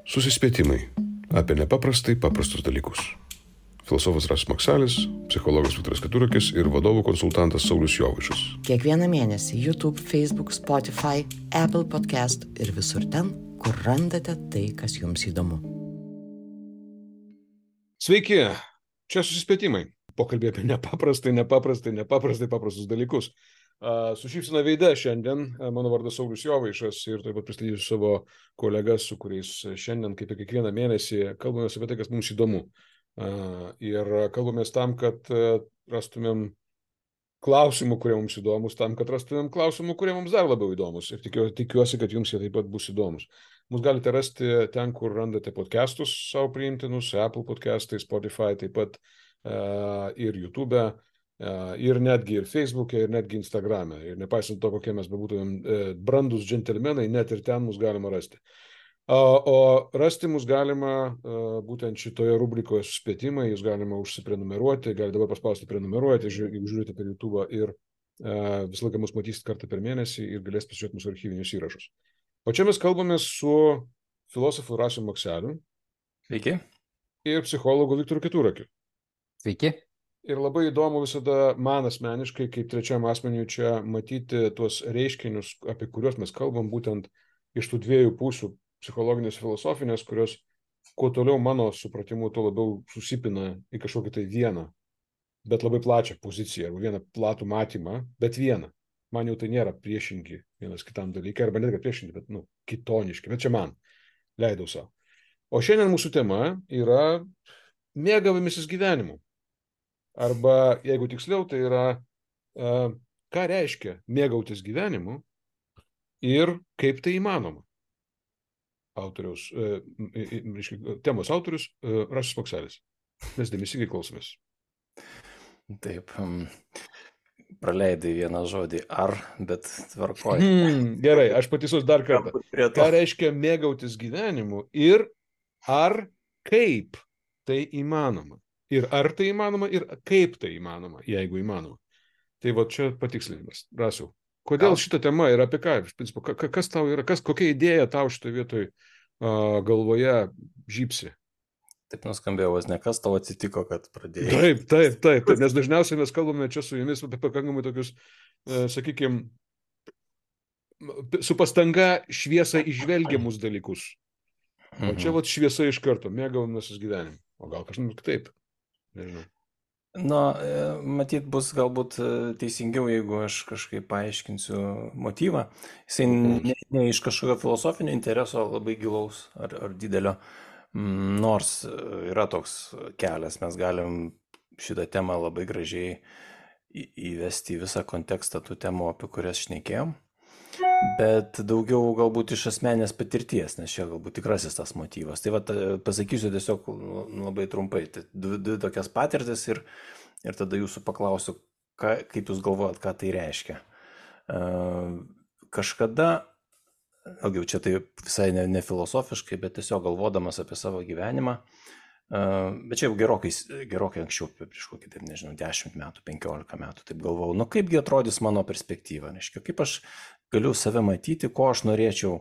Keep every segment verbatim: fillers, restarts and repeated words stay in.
Susispėtimai apie nepaprastai paprastus dalykus. Filosofas Rasas Maksalis, psichologas Viktoras Keturakis ir vadovų konsultantas Saulius Jovaišas. Kiekvieną mėnesį YouTube, Facebook, Spotify, Apple Podcast ir visur ten, kur randate tai, kas jums įdomu. Sveiki, čia Susispėtimai. Pokalbė apie nepaprastai, nepaprastai, nepaprastai paprastus dalykus. Uh, su šypsena veide šiandien, uh, mano vardas Saulius Jovaišas ir taip pat pristatysiu savo kolegas, su kuriais šiandien, kaip ir kiekvieną mėnesį, kalbamės apie tai, kas mums įdomu. Uh, ir kalbamės tam, kad uh, rastumėm klausimų, kurie mums įdomus, tam, kad rastumėm klausimų, kurie mums dar labiau įdomus. Ir tikiu, tikiuosi, kad jums jie taip pat bus įdomus. Mus galite rasti ten, kur randate podcastus savo priimtinus, Apple podcastai, Spotify, taip pat uh, ir YouTube. Ir netgi ir Facebook'e, ir netgi Instagram'e. Ir nepaisant to, kokie mes bebūtumėm brandus džentelmenai, net ir ten mus galima rasti. O rasti mus galima būtent šitoje rubrikoje Susispėtimai, jūs galima užsiprenumeruoti, galite dabar paspausti prenumeruoti, jeigu žiūrite per YouTube ir visą laiką mus matysite kartą per mėnesį ir galėsite pasižiūrėti mūsų archyvinius įrašus. O čia mes kalbame su filosofu Rasiu Makseliu. Sveiki. Ir psichologu Viktoru Keturakiu. Sveiki. Ir labai įdomu visada man asmeniškai, kaip trečiam asmeniui čia matyti tuos reiškinius, apie kuriuos mes kalbam, būtent iš tų dviejų pusių, psichologinės ir filosofinės, kurios kuo toliau mano supratimu, tuo labiau susipina į kažkokį tai vieną, bet labai plačią poziciją, arba vieną platų matymą, bet vieną. Man jau tai nėra priešingi vienas kitam dalykai, arba net priešingi, bet nu, kitoniški, bet čia man leidau savo. O šiandien mūsų tema yra mėgavimasis gyvenimu. Arba, jeigu tiksliau, tai yra, uh, ką reiškia mėgautis gyvenimu ir kaip tai įmanoma. Autoriaus, uh, temos autorius uh, Rasas Makselis. Mes dėmesingai klausomės. Taip, um, praleidai vieną žodį ar, bet tvarkoj. Hmm, gerai, aš pataisos dar kartą. Ką reiškia mėgautis gyvenimu ir ar kaip tai įmanoma. Ir ar tai įmanoma, ir kaip tai įmanoma, jeigu įmanoma. Tai va čia patikslinimas. Rasiau, kodėl šita tema yra apie ką? Principu, kas tau yra, kas, kokia idėja tau šitoje vietoj uh, galvoje žypsi? Taip nuskambėjo, vos ne kas tau atsitiko, kad pradėjai. Taip, taip, taip, taip, nes dažniausiai mes kalbame čia su jumis apie pakankamai tokius, uh, sakykime, su pastanga šviesą išvelgiamus dalykus. O čia va šviesa iš karto, mėgavimasis gyvenimu. O gal kažkas kitaip. Nežinau. Na, matyt, bus galbūt teisingiau, jeigu aš kažkaip paaiškinsiu motyvą. Jisai ne, ne iš kažkokio filosofinio intereso labai gilaus ar, ar didelio, nors yra toks kelias, mes galim šitą temą labai gražiai įvesti į visą kontekstą tų temų, apie kurias šnekėjom. Bet daugiau galbūt iš asmenės patirties, nes čia galbūt tikrasis tas motyvas. Tai va, pasakysiu tiesiog labai trumpai. Tai dvi, dvi tokias patirtis ir, ir tada jūsų paklausiu, ką, kaip jūs galvojat, ką tai reiškia. Uh, kažkada, ilgiau čia tai visai ne, ne filosofiškai, bet tiesiog galvodamas apie savo gyvenimą, uh, bet čia jau gerokai, gerokai anksčiau, prieš kokį, taip, nežinau, dešimt metų, penkiolika metų, taip galvojau, nu kaipgi atrodys mano perspektyva, reiškia, kaip aš galiu save matyti, ko aš norėčiau,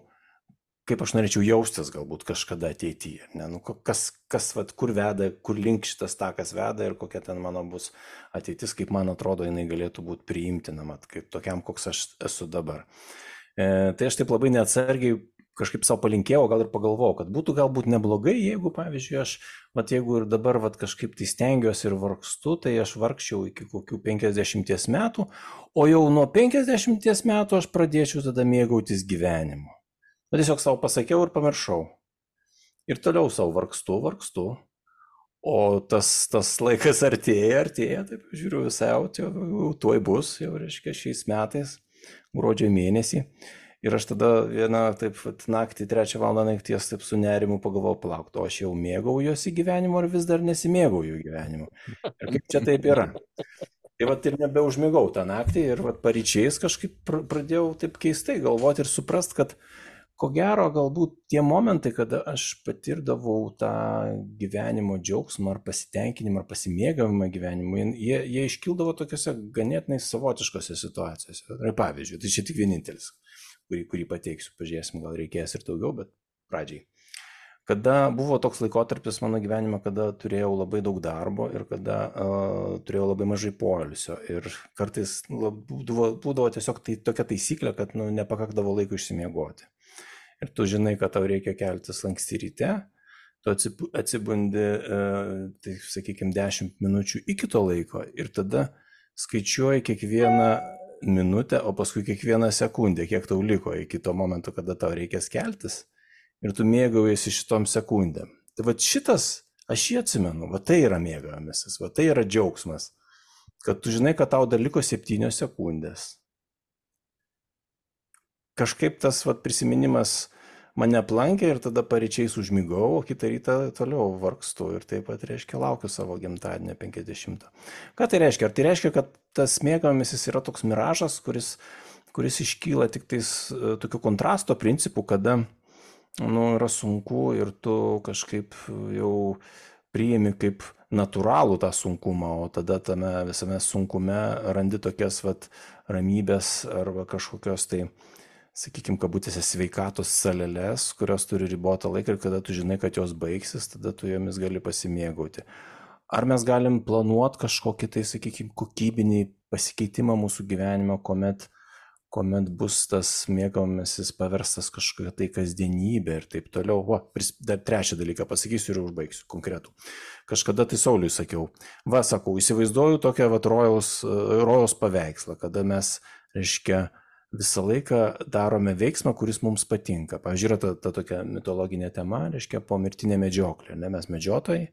kaip aš norėčiau jaustis galbūt kažkada ateityje. Ne? Nu, kas, kas, vat, kur veda, kur link šitas takas veda ir kokia ten mano bus ateitis, kaip man atrodo, jinai galėtų būti priimtinama, kaip tokiam, koks aš esu dabar. E, tai aš taip labai neatsargiai kažkaip savo palinkėjau, gal ir pagalvojau, kad būtų galbūt neblogai, jeigu, pavyzdžiui, aš, vat, jeigu ir dabar vat, kažkaip tai stengiuosi ir vargstu, tai aš vargčiau iki kokių penkiasdešimties metų, o jau nuo penkiasdešimties metų aš pradėčiau tada mėgautis gyvenimu. Bet tiesiog savo pasakiau ir pamiršau. Ir toliau savo vargstu, vargstu, o tas, tas laikas artėja, artėja, taip žiūriu visai, jau, jau tuoj bus, jau reiškia šiais metais, gruodžio mėnesį. Ir aš tada vieną taip naktį, trečią valandą nakties taip su nerimu pagalvojau, palauk, o aš jau mėgaujuosi gyvenimu ar vis dar nesimėgauju gyvenimu. Ir kaip čia taip yra? Tai vat ir nebeužmigau tą naktį ir vat paryčiais kažkaip pradėjau taip keistai galvoti ir suprast, kad ko gero galbūt tie momentai, kada aš patirdavau tą gyvenimo džiaugsmą ar pasitenkinimą ar pasimėgavimą gyvenimu, jie, jie iškildavo tokiuose ganėtinai savotiškose situacijose. Ir pavyzdžiui, tai čia tik vienintelis. Kurį, kurį pateiksiu, pažiūrėsim, gal reikės ir daugiau, bet pradžiai. kada buvo toks laikotarpis mano gyvenime, kada turėjau labai daug darbo ir kada uh, turėjau labai mažai poilsio. Ir kartais lab, būdavo, būdavo tiesiog tai, tokia taisyklė, kad nu, nepakakdavo laiko išsimiegoti. Ir tu žinai, kad tau reikia keltis anksti ryte, tu atsibundi, uh, tai sakykime, dešimt minučių iki to laiko ir tada skaičiuoji kiekvieną minutę, o paskui kiekvieną sekundę, kiek tau liko iki to momento, kada tau reikės keltis. Ir tu mėgaujasi šitom sekundėm. Tai va šitas, aš jį atsimenu, va tai yra mėgavimasis, va tai yra džiaugsmas, kad tu žinai, kad tau dar liko septynios sekundės. Kažkaip tas va prisiminimas mane aplankė ir tada paryčiais užmigau, o kitą rytą toliau vargstu ir taip pat, reiškia, laukiu savo gimtadienio penkiasdešimto. Ką tai reiškia? Ar tai reiškia, kad tas mėgavimasis yra toks miražas, kuris, kuris iškyla tik tais tokiu kontrasto principu, kada nu, yra sunku ir tu kažkaip jau priimi kaip natūralų tą sunkumą, o tada tame visame sunkume randi tokias vat, ramybės arba kažkokios tai, sakykime, kabutėse sveikatos saleles, kurios turi ribotą laiką ir kada tu žinai, kad jos baigsis, tada tu jomis gali pasimėgauti. Ar mes galim planuoti kažkokį tai, sakykime, kokybinį pasikeitimą mūsų gyvenime, kuomet kuomet bus tas mėgavimasis paverstas kažkokia tai kasdienybė ir taip toliau. O, dar trečią dalyką pasakysiu ir užbaigsiu konkretų. Kažkada tai Sauliui sakiau, va, sakau, įsivaizduoju tokią vat rojaus, rojaus paveikslą, kada mes, reiškia, visą laiką darome veiksmą, kuris mums patinka. Pavyzdžiui, yra ta, ta tokia mitologinė tema, reiškia, pomirtinė medžioklė. Ne? Mes medžiotojai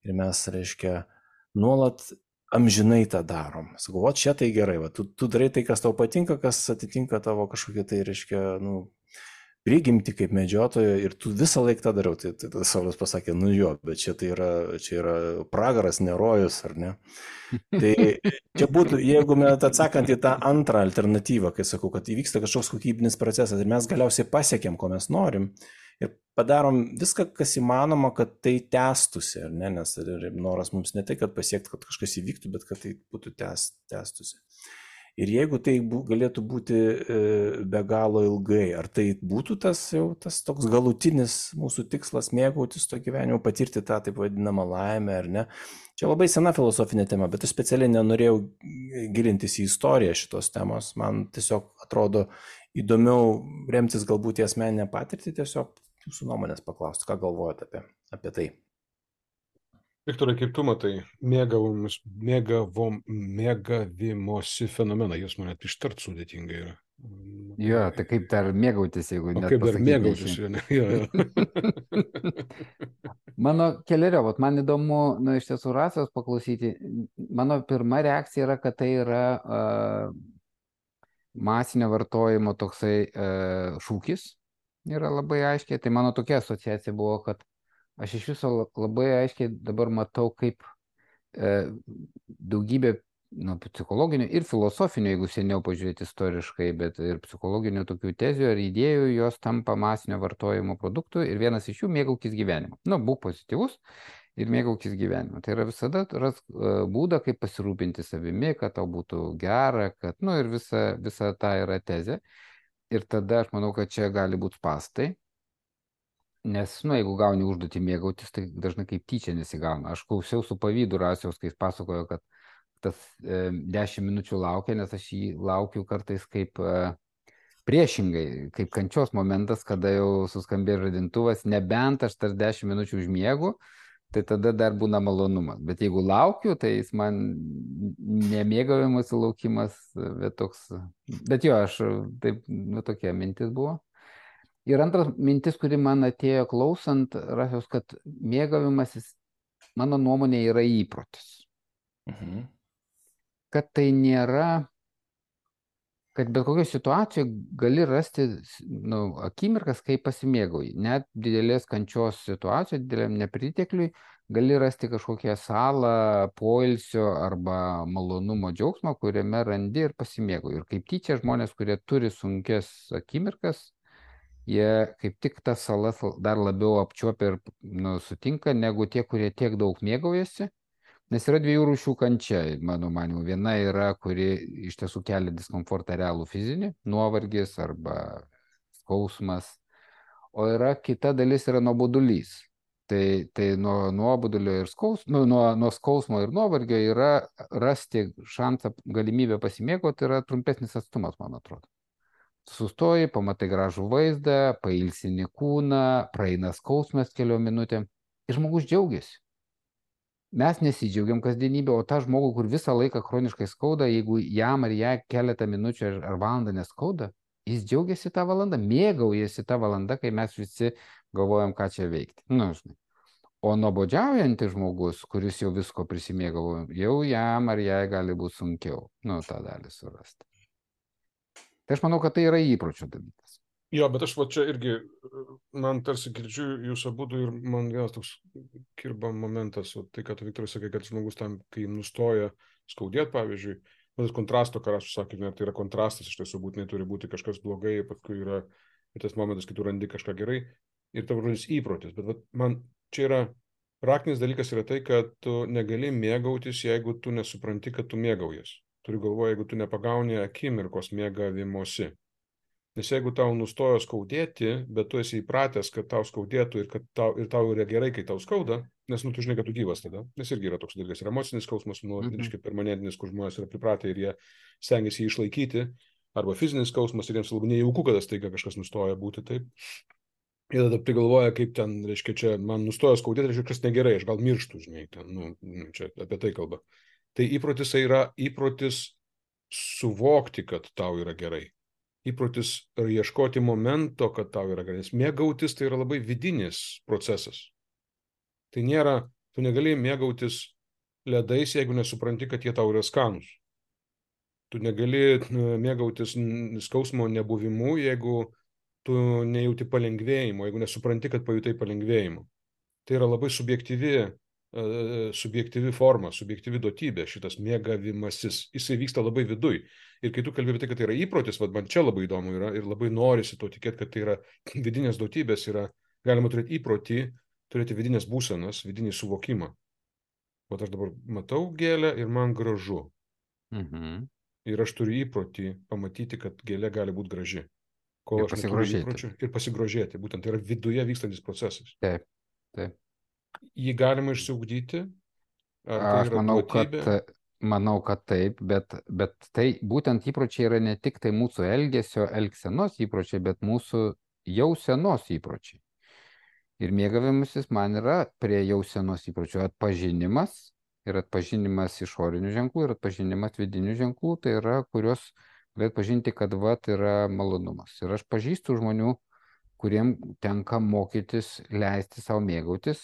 ir mes, reiškia, nuolat amžinai tą darom. Sakau, o čia tai gerai, va, tu, tu darai tai, kas tau patinka, kas atitinka tavo kažkokia tai, reiškia, nu, prigimti kaip medžiotojo ir tu visą laiką tą dariau. Tai, tai, tai Saulius pasakė, nu jo, bet čia tai yra, čia yra pragaras, ne rojus, ar ne? Tai čia būtų, jeigu mes atsakant į tą antrą alternatyvą, kai sakau, kad įvyksta kažkoks kokybinis procesas ir mes galiausiai pasiekėm, ko mes norim, ir padarom viską, kas įmanoma, kad tai tęstųsi, ar ne, nes noras mums ne tai, kad pasiekti, kad kažkas įvyktų, bet kad tai būtų tęst, tęstųsi. Ir jeigu tai bū, galėtų būti e, be galo ilgai, ar tai būtų tas jau tas toks galutinis mūsų tikslas mėgautis to gyvenimu, patirti tą taip vadinamą laimę, ar ne. Čia labai sena filosofinė tema, bet aš specialiai nenorėjau gilintis į istoriją šitos temos. Man tiesiog atrodo įdomiau remtis galbūt į asmeninę patirtį, tiesiog jūsų nuomonės paklausti, ką galvojate apie, apie tai. Viktorai, kaip tu matai, mėgavimus, mėgavom, mėgavimosi fenomeną, jūs man net ištart sudėtingai yra. Jo, tai kaip dar mėgautis, jeigu o net kaip dar mėgautis, jo, ne, jo, jo. Mano kelerio, vat, man įdomu, nu, iš tiesų Rasos paklausyti, mano pirma reakcija yra, kad tai yra uh, masinio vartojimo toksai uh, šūkis, yra labai aiškiai, tai mano tokia asociacija buvo, kad aš iš viso labai aiškiai dabar matau, kaip e, daugybė nu, psichologinių ir filosofinių, jeigu seniau pažiūrėti istoriškai, bet ir psichologinių tokių tezių ar idėjų, jos tampa masinio vartojimo produktų ir vienas iš jų mėgaukis gyvenimu. Nu, būk pozityvus ir mėgaukis gyvenimu. Tai yra visada ras būdą, kaip pasirūpinti savimi, kad tau būtų gera, kad, nu, ir visa, visa ta yra tezė. Ir tada aš manau, kad čia gali būti spastai. Nes, nu, jeigu gauni užduotį mėgautis, tai dažnai kaip tyčia nesigauna. Aš klausiau su pavydu Rasiaus, kai jis pasakojo, kad tas e, dešimt minučių laukia, nes aš jį laukiu kartais kaip e, priešingai, kaip kančios momentas, kada jau suskambė žadintuvas, nebent aš tas dešimt minučių užmiegu, tai tada dar būna malonumas. Bet jeigu laukiu, tai jis man nemėgavimas laukimas, bet toks, bet jo, aš taip, nu, tokia mintis buvo. Ir antras mintis, kuri man atėjo klausant, Rasiaus, kad mėgavimasis, mano nuomonė, yra įprotis. Mhm. Kad tai nėra, kad bet kokio situacijoje gali rasti nu, akimirkas, kai pasimėgauji. Net didelės kančios situacijoje, dideliam nepritekliui, gali rasti kažkokią salą, poilsio arba malonumo džiaugsmą, kuriame randi ir pasimėgauji. Ir kaip tyčia žmonės, kurie turi sunkias akimirkas, jie kaip tik tas salas dar labiau apčiuopia ir nu, sutinka, negu tie, kurie tiek daug mėgaujasi. Nes yra dviejų rūšių kančia, mano manimu. Viena yra, kuri iš tiesų kelia diskomfortą realų fizinį, nuovargis arba skausmas. o yra kita dalis yra nuobodulys. Tai, tai nuo nuobodulio ir skausmo, nu, nuo, nuo skausmo ir nuovargio yra rasti šansą, galimybę pasimėgauti yra trumpesnis atstumas, man atrodo. Sustoji, pamatai gražų vaizdą, pailsini kūną, praeina skausmas keliom minutėm ir žmogus džiaugiasi. Mes nesidžiaugiam kasdienybę, o tą žmogų, kur visą laiką chroniškai skauda, jeigu jam ar ją keletą minučių ar, ar valandą neskauda, jis džiaugiasi tą valandą, mėgaujasi tą valandą, kai mes visi galvojam, ką čia veikti. Nu, žinai. O nuobodžiaujantis žmogus, kuris jau visko prisimėgavo, jau jam ar jai gali būti sunkiau, nu, tą dalį surasti. Tai aš manau, kad tai yra įpročio dalykas. Jo, bet aš va čia irgi, man tarsi girdžiu jūs abudu ir man vienas toks kirba momentas, o tai, kad Viktoras sakė, kad žmogus tam, kai nustoja skaudėti, pavyzdžiui, tas kontrasto, ką aš sakė, tai yra kontrastas, iš tiesų būtinai turi būti kažkas blogai, paskui yra tas momentas, kai tu randi kažką gerai ir tavo žodis įprotis. Bet va, man čia yra, raktinis dalykas yra tai, kad tu negali mėgautis, jeigu tu nesupranti, kad tu mėgaujas. Turiu galvoje, jeigu tu nepagauni akimirkos mėgavimosi. Nes jeigu tau nustojo skaudėti, bet tu esi įpratęs, kad tau skaudėtų ir, kad tau, ir tau yra gerai, kai tau skauda, nes nu, tu žinai, kad tu gyvas tada, nes irgi yra toks dalykas, ir emocinis skausmas, nu, mm-hmm. reiškia permanentinis, kur žmonės yra pripratę ir jie stengiasi jį išlaikyti, arba fizinis skausmas ir jiems labai nejauku, kad staiga kažkas nustoja būti taip. Ir tada prigalvoja, kaip ten, reiškia, čia man nustojo skaudėti, reiškia, kas negerai, aš gal mirštu, žinai, ten, nu, čia apie tai kalba. Tai įprotis yra įprotis suvokti, kad tau yra gerai. Įprotis ar ieškoti momento, kad tau yra gerai. Nes mėgautis tai yra labai vidinis procesas. Tai nėra, tu negali mėgautis ledais, jeigu nesupranti, kad jie tau yra skanus. Tu negali mėgautis skausmo nebuvimu, jeigu tu nejauti palengvėjimo, jeigu nesupranti, kad pajutai palengvėjimo. Tai yra labai subjektyvi subjektyvi forma, subjektyvi duotybė, šitas mėgavimasis, jisai vyksta labai viduj. Ir kai tu kalbėjai apie tai, kad tai yra įprotis, vad man čia labai įdomu yra ir labai norisi to tikėti, kad tai yra vidinės duotybės, yra, galima turėti įprotį, turėti vidinės būsenas, vidinį suvokimą. O aš dabar matau gėlę ir man gražu. Mhm. Ir aš turiu įprotį pamatyti, kad gėlė gali būti graži. Kol aš neturiu įpročių ir pasigrožėti. Būtent tai yra viduje vykstantis procesas. Taip, taip. Jį galima išsiugdyti? Ar tai Aš yra manau, duotybė? kad, manau, kad taip, bet, bet tai būtent įpročiai yra ne tik tai mūsų elgesio, elgsenos įpročiai, bet mūsų jausenos įpročiai. Ir mėgavimasis man yra prie jausenos įpročių atpažinimas ir atpažinimas išorinių ženklų ir atpažinimas vidinių ženklų, tai yra, kurios galėt pažinti, kad vat yra malonumas. Ir aš pažįstu žmonių, kuriem tenka mokytis, leisti savo mėgautis,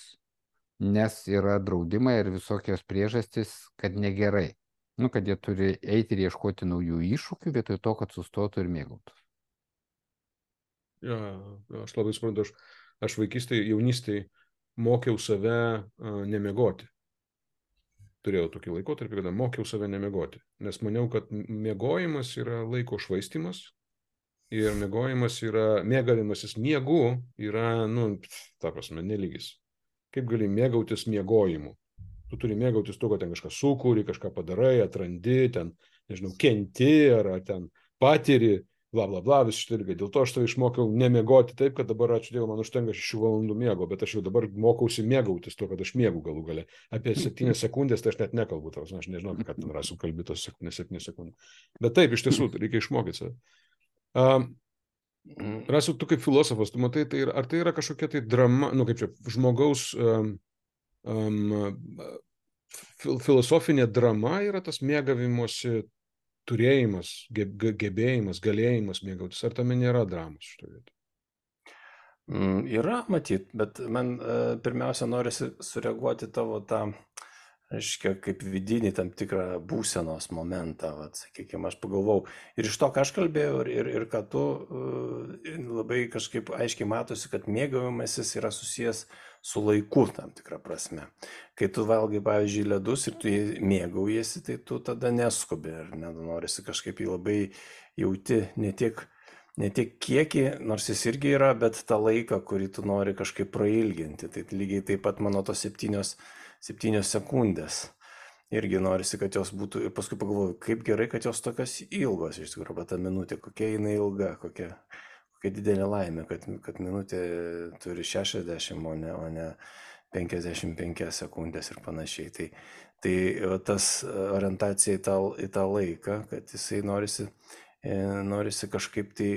nes yra draudimai ir visokios priežastys, kad negerai. Nu, kad jie turi eiti ir ieškoti naujų iššūkių, vietoj to, kad sustotų ir mėgautų. Ja, aš labai suprantu, aš, aš vaikystėje, jaunystėje mokiau save uh, nemiegoti. Turėjau tokį laikotarpį, kada mokiau save nemiegoti. Nes maniau, kad miegojimas yra laiko švaistymas ir miegojimas yra, mėgavimasis miegu yra, nu, ta prasme, nelygis. Kaip gali mėgautis miegojimu? Tu turi mėgautis tuo, kad ten kažką sukūri, kažką padarai, atrandi, ten, nežinau, kenti ar, ar ten patiri, bla, bla, bla, vis šitą irgi. Dėl to aš tave išmokiau nemiegoti taip, kad dabar, ačiū Dievui, man užtenka šešių valandų miego, bet aš jau dabar mokausi mėgautis tuo, kad aš miegu galų gale. Apie septynias sekundės tai aš net nekalbu, tavas, aš nežinau, apie ką ten rasiu kalbėtos septynias sekundės. Bet taip, iš tiesų, reikia išmokyti save. Um, Rasiu, tu kaip filosofas, tu matai, tai, ar tai yra kažkokia tai drama, nu kaip čia, žmogaus um, um, fil, filosofinė drama yra tas mėgavimosi turėjimas, ge, gebėjimas, galėjimas mėgautis, ar tame nėra dramos šitoje vietoje? Mm, yra, matyt, bet man uh, pirmiausia norisi sureaguoti tavo tą, reiškia, kaip vidinį tam tikrą būsenos momentą, vat, sakykime, aš pagalvau. Ir iš to, ką aš kalbėjau, ir, ir, ir kad tu uh, labai kažkaip aiškiai matosi, kad mėgavimasis yra susijęs su laiku tam tikrą prasme. Kai tu valgai, pavyzdžiui, ledus ir tu mėgaujasi, tai tu tada neskubi ir nenorisi kažkaip jį labai jauti ne tiek, ne tiek kiekį, nors jis irgi yra, bet tą laiką, kurį tu nori kažkaip prailginti. Tai lygiai taip pat mano tos septynios septynios sekundės. Irgi norisi, kad jos būtų, ir paskui pagalvoju, kaip gerai, kad jos tokios ilgos, iš tikrųjų, bet ta minutė, kokia jinai ilga, kokia, kokia didelė laimė, kad, kad minutė turi šešiasdešimt, o ne, o ne penkiasdešimt penkias sekundės ir panašiai. Tai, tai tas orientacija į tą, į tą laiką, kad jisai norisi, norisi kažkaip tai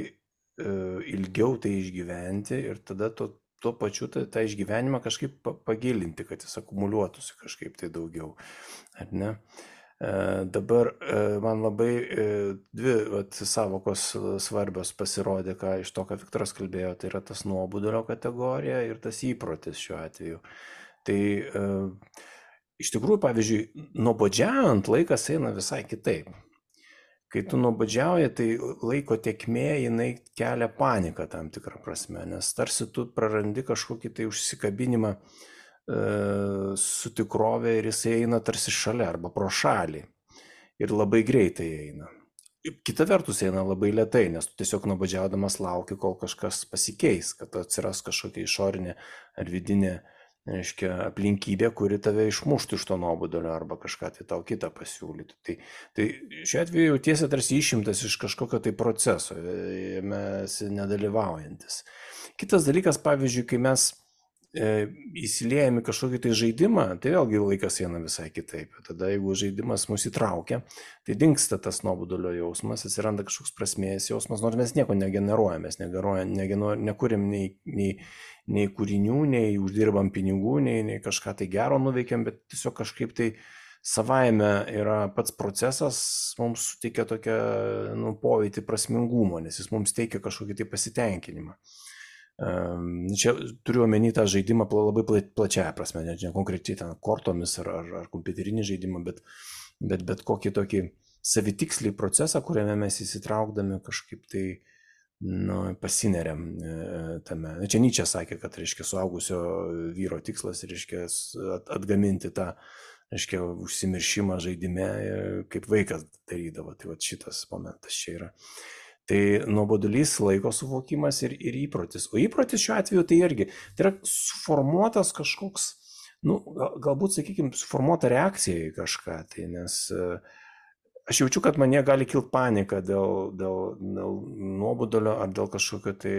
ilgiau tai išgyventi ir tada to, tuo pačiu tą, tą išgyvenimą kažkaip pagilinti, kad jis akumuliuotųsi kažkaip tai daugiau. Ar ne? Dabar man labai dvi vat, savokos svarbios pasirodė, ką iš to, ką Viktoras kalbėjo, tai yra tas nuobodulio kategorija ir tas įprotis šiuo atveju. Tai iš tikrųjų, pavyzdžiui, nuobodžiaujant laikas eina visai kitaip. Kai tu nuobodžiauji, tai laiko tėkmė, jinai kelia paniką tam tikrą prasme, nes tarsi tu prarandi kažkokį tai užsikabinimą su tikrovė ir jis eina tarsi šalia arba pro šalį ir labai greitai eina. Kita vertus eina labai lėtai, nes tu tiesiog nuobodžiaudamas lauki, kol kažkas pasikeis, kad atsiras kažkokia išorinė ar vidinė, reiškia, aplinkybė, kuri tave išmuštų iš to nuobodulio arba kažką tai tau kitą pasiūlytų. Tai, tai šiuo atveju jautiesi tarsi išimtas iš kažkokio tai proceso, mes nedalyvaujantis. Kitas dalykas, pavyzdžiui, kai mes įsiliejame į kažkokį tai žaidimą, tai vėlgi laikas eina visai kitaip. Tada jeigu žaidimas mus įtraukia, tai dingsta tas nuobodulio jausmas, atsiranda kažkoks prasmės jausmas, nors mes nieko negeneruojame, mes negeneruojam, nekūrim nei, nei, nei kūrinių, nei uždirbam pinigų, nei, nei kažką tai gero nuveikiam, bet tiesiog kažkaip tai savaime yra pats procesas, mums suteikia tokią nu, pojūtį prasmingumo, nes jis mums teikia kažkokį tai pasitenkinimą. Čia turiu omeny tą žaidimą labai plačiaja prasme, ne, ne konkrečiai ten kortomis ar, ar, ar kompiuterinį žaidimą, bet, bet, bet kokį tokį savitikslį procesą, kuriame mes įsitraukdami kažkaip tai nu, pasineriam tame. Čia Nyčė sakė, kad reiškia suaugusio vyro tikslas reiškia atgaminti tą reiškia užsimiršimą žaidime, kaip vaikas darydavo. Tai va šitas momentas čia yra. Tai nuobodulys, laiko suvokimas ir, ir įprotis. O įprotis šiuo atveju tai irgi, tai yra suformuotas kažkoks, nu, galbūt, sakykime, suformuota reakcija į kažką. Tai nes aš jaučiu, kad mane gali kilti panika dėl, dėl, dėl nuobodulio ar dėl kažkokio tai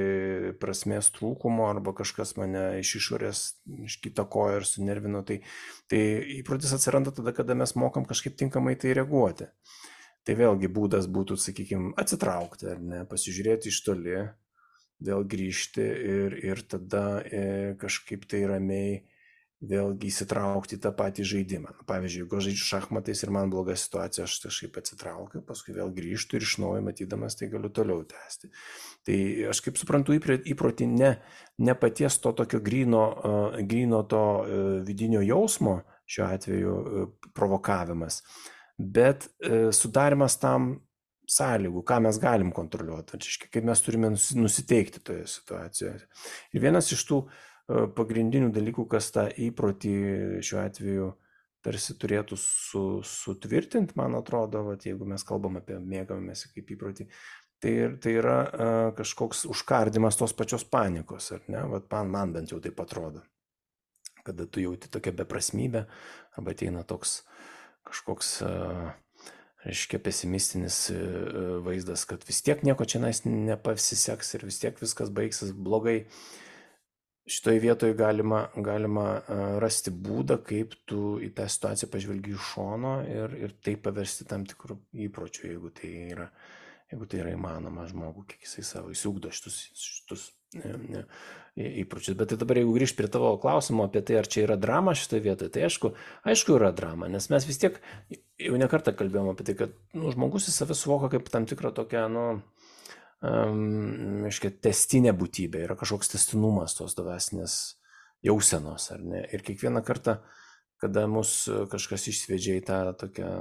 prasmės trūkumo arba kažkas mane iš išorės iškitakojo ir sunervino. Tai, tai įprotis atsiranda tada, kada mes mokam kažkaip tinkamai tai reaguoti. Tai vėlgi būdas būtų, sakykime, atsitraukti, ar ne, pasižiūrėti iš toli, vėl grįžti ir, ir tada e, kažkaip tai ramiai vėlgi įsitraukti į tą patį žaidimą. Pavyzdžiui, jeigu aš žaidžiu šachmatais ir man bloga situacija, aš kažkaip atsitraukiu, paskui vėl grįžtu ir iš naujo matydamas tai galiu toliau tęsti. Tai aš kaip suprantu įprotį ne, ne paties to tokio gryno, uh, gryno to uh, vidinio jausmo, šiuo atveju uh, provokavimas, bet e, sudarimas tam sąlygų, ką mes galim kontroliuoti, kaip mes turime nusiteikti toje situacijoje. Ir vienas iš tų e, pagrindinių dalykų, kas tą įprotį šiuo atveju tarsi turėtų su, sutvirtinti, man atrodo, vat, jeigu mes kalbam apie mėgavimąsi kaip įprotį, tai, tai yra e, kažkoks užkardimas tos pačios panikos, ar ne? Vat man, man bent jau taip atrodo, kada tu jauti tokią beprasmybę, arba ateina toks kažkoks, reiškia, pesimistinis vaizdas, kad vis tiek nieko čia nepasiseks ir vis tiek viskas baigsis blogai. Šitoje vietoje galima, galima rasti būdą, kaip tu į tą situaciją pažvelgi iš šono ir, ir tai paversti tam tikrų įpročių, jeigu tai yra, jeigu tai yra įmanoma žmogų, kiek jisai savo įsiugdo šitus, šitus ne, ne, įpročius. Bet tai dabar, jeigu grįžt prie tavo klausimo apie tai, ar čia yra drama šitoje vietoje, tai aišku, aišku yra drama, nes mes vis tiek jau ne kartą kalbėjom apie tai, kad nu, žmogus į save suvoka kaip tam tikrą tokią, nu, um, aiškiai, testinė būtybė, yra kažkoks testinumas tos dvasinės jausenos, ar ne? Ir kiekvieną kartą, kada mus kažkas išsvedžia į tą tokią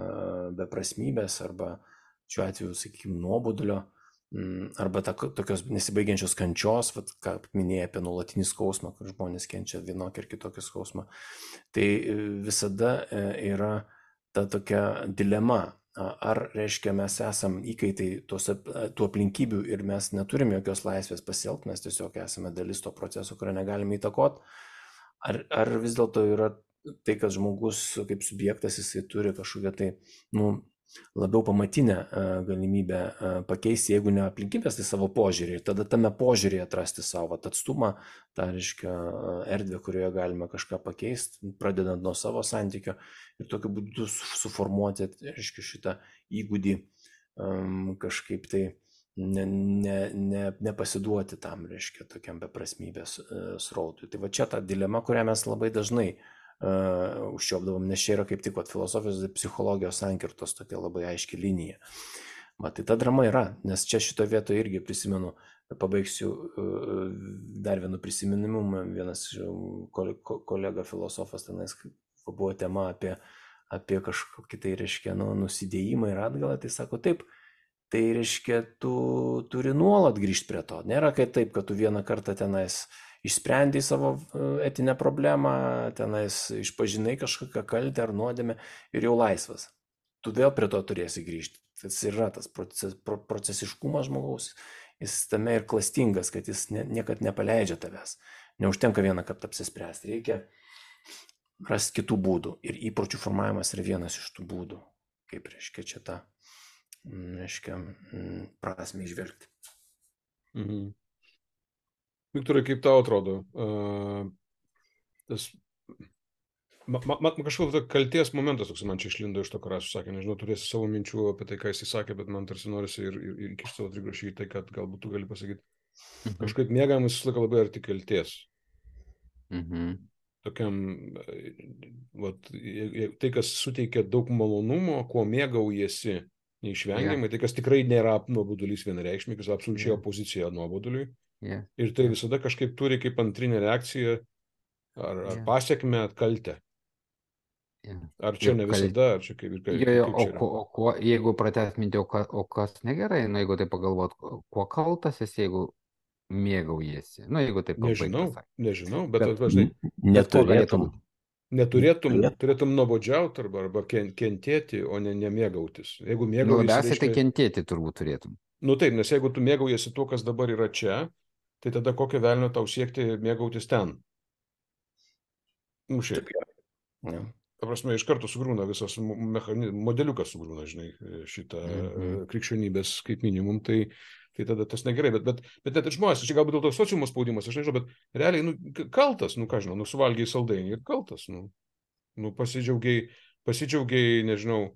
beprasmybės arba šiuo atveju, sakykime, nuobodulio, arba ta, tokios nesibaigiančios kančios, vat, ką minėjai apie nuolatinį skausmą, kur žmonės kenčia vienokį ir kitokį skausmą, tai visada yra ta tokia dilema, ar reiškia mes esam įkaitai tos, tų aplinkybių ir mes neturim jokios laisvės pasielgti, mes tiesiog esame dalis to proceso, kurio negalime įtakoti, ar, ar vis dėlto yra tai, kad žmogus kaip subjektas jisai turi kažkokią tai, nu, labiau pamatinę galimybę pakeisti, jeigu ne aplinkybės, tai savo požiūrį. Ir tada tame požiūrį atrasti savo atstumą, tą, reiškia, erdvę, kurioje galime kažką pakeisti, pradedant nuo savo santykio ir tokiu būdu suformuoti, reiškia, šitą įgūdį um, kažkaip tai ne, ne, ne, nepasiduoti tam, reiškia, tokiam beprasmybės uh, srautui. Tai va čia ta dilema, kurią mes labai dažnai Uh, užčiopdavom, nes čia yra kaip tik vat, filosofijos ir psichologijos sankirtos tokia labai aiški linija. Va, tai ta drama yra, nes čia šito vietoje irgi prisimenu, pabaigsiu uh, dar vienu prisiminimu, vienas kolega filosofas tenais buvo tema apie, apie kažkokį tai, reiškia, nu, nusidėjimą ir atgalą, tai sako taip, tai reiškia, tu turi nuolat grįžti prie to, nėra kaip taip, kad tu vieną kartą tenais išsprendai savo etinę problemą, tenais išpažinai kažkokią kaltę ar nuodėmę ir jau laisvas. Tu vėl prie to turėsi grįžti. Tas yra tas proces, procesiškumas žmogaus, jis tame ir klastingas, kad jis ne, niekad nepaleidžia tavęs. Neužtenka vieną kartą apsispręsti, reikia rasti kitų būdų. Ir įpročių formavimas yra vienas iš tų būdų, kaip, reiškia, čia tą, reiškia, prasmę išvelgti. Mhm. Viktorai, kaip tau atrodo, uh, tas, man ma, ma, kažkoks kalties momentas, toks man čia išlindo iš to, ką Rasius sakė, nežinau, turėsi savo minčių apie tai, ką jis sakė, bet man tarsi norisi ir, ir, ir įkišti savo trigrašį į tai, kad galbūt tu gali pasakyti. Mhm. Kažkaip mėgavimas visą laiką labai arti kalties. Mhm. Tokiam, vat, tai, kas suteikia daug malonumo, kuo mėgaujasi neišvengiamai, yeah. Tai, kas tikrai nėra nuobodulys vienareikšmiai, kas absoliučiai yeah. opozicija nuoboduliui. Yeah. Ir tai visada kažkaip turi kaip antrinė reakcija ar, ar yeah. pasiekmę kaltę. Yeah. Ar čia ir ne visada, kal... ar čia kaip ir kaip, jo, jo, kaip čia yra. O, o, o jeigu pratęs mintį, o, ka, o kas negerai, nu jeigu tai pagalvot, kuo kaltas esi, jeigu mėgaujasi. Nu jeigu taip nežinau, nežinau, bet, bet važnai. Neturėtum. Neturėtum, turėtum nuobodžiauti arba, arba kentėti, o ne nemėgautis. Jeigu mėgaujasi, nu, labiausiai reiškia... tai kentėti turbūt turėtum. Nu taip, nes jeigu tu mėgaujasi tuo, kas dabar yra čia, tai tada kokio velnio tau siekti mėgautis ten? Nu šiaip. Ja. Ta prasme, iš karto sugrūna visas mechani... modeliukas sugrūna, žinai, šitą mm-hmm. krikščionybės kaip minimum, tai, tai tada tas negerai. Bet, bet, bet net ir žmonės, čia galbūt dėl to sociumo spaudimas, aš nežinau, bet realiai, nu, kaltas, nu ką žinau, nu suvalgiai saldainį ir kaltas, nu, nu pasidžiaugiai, pasidžiaugiai, nežinau,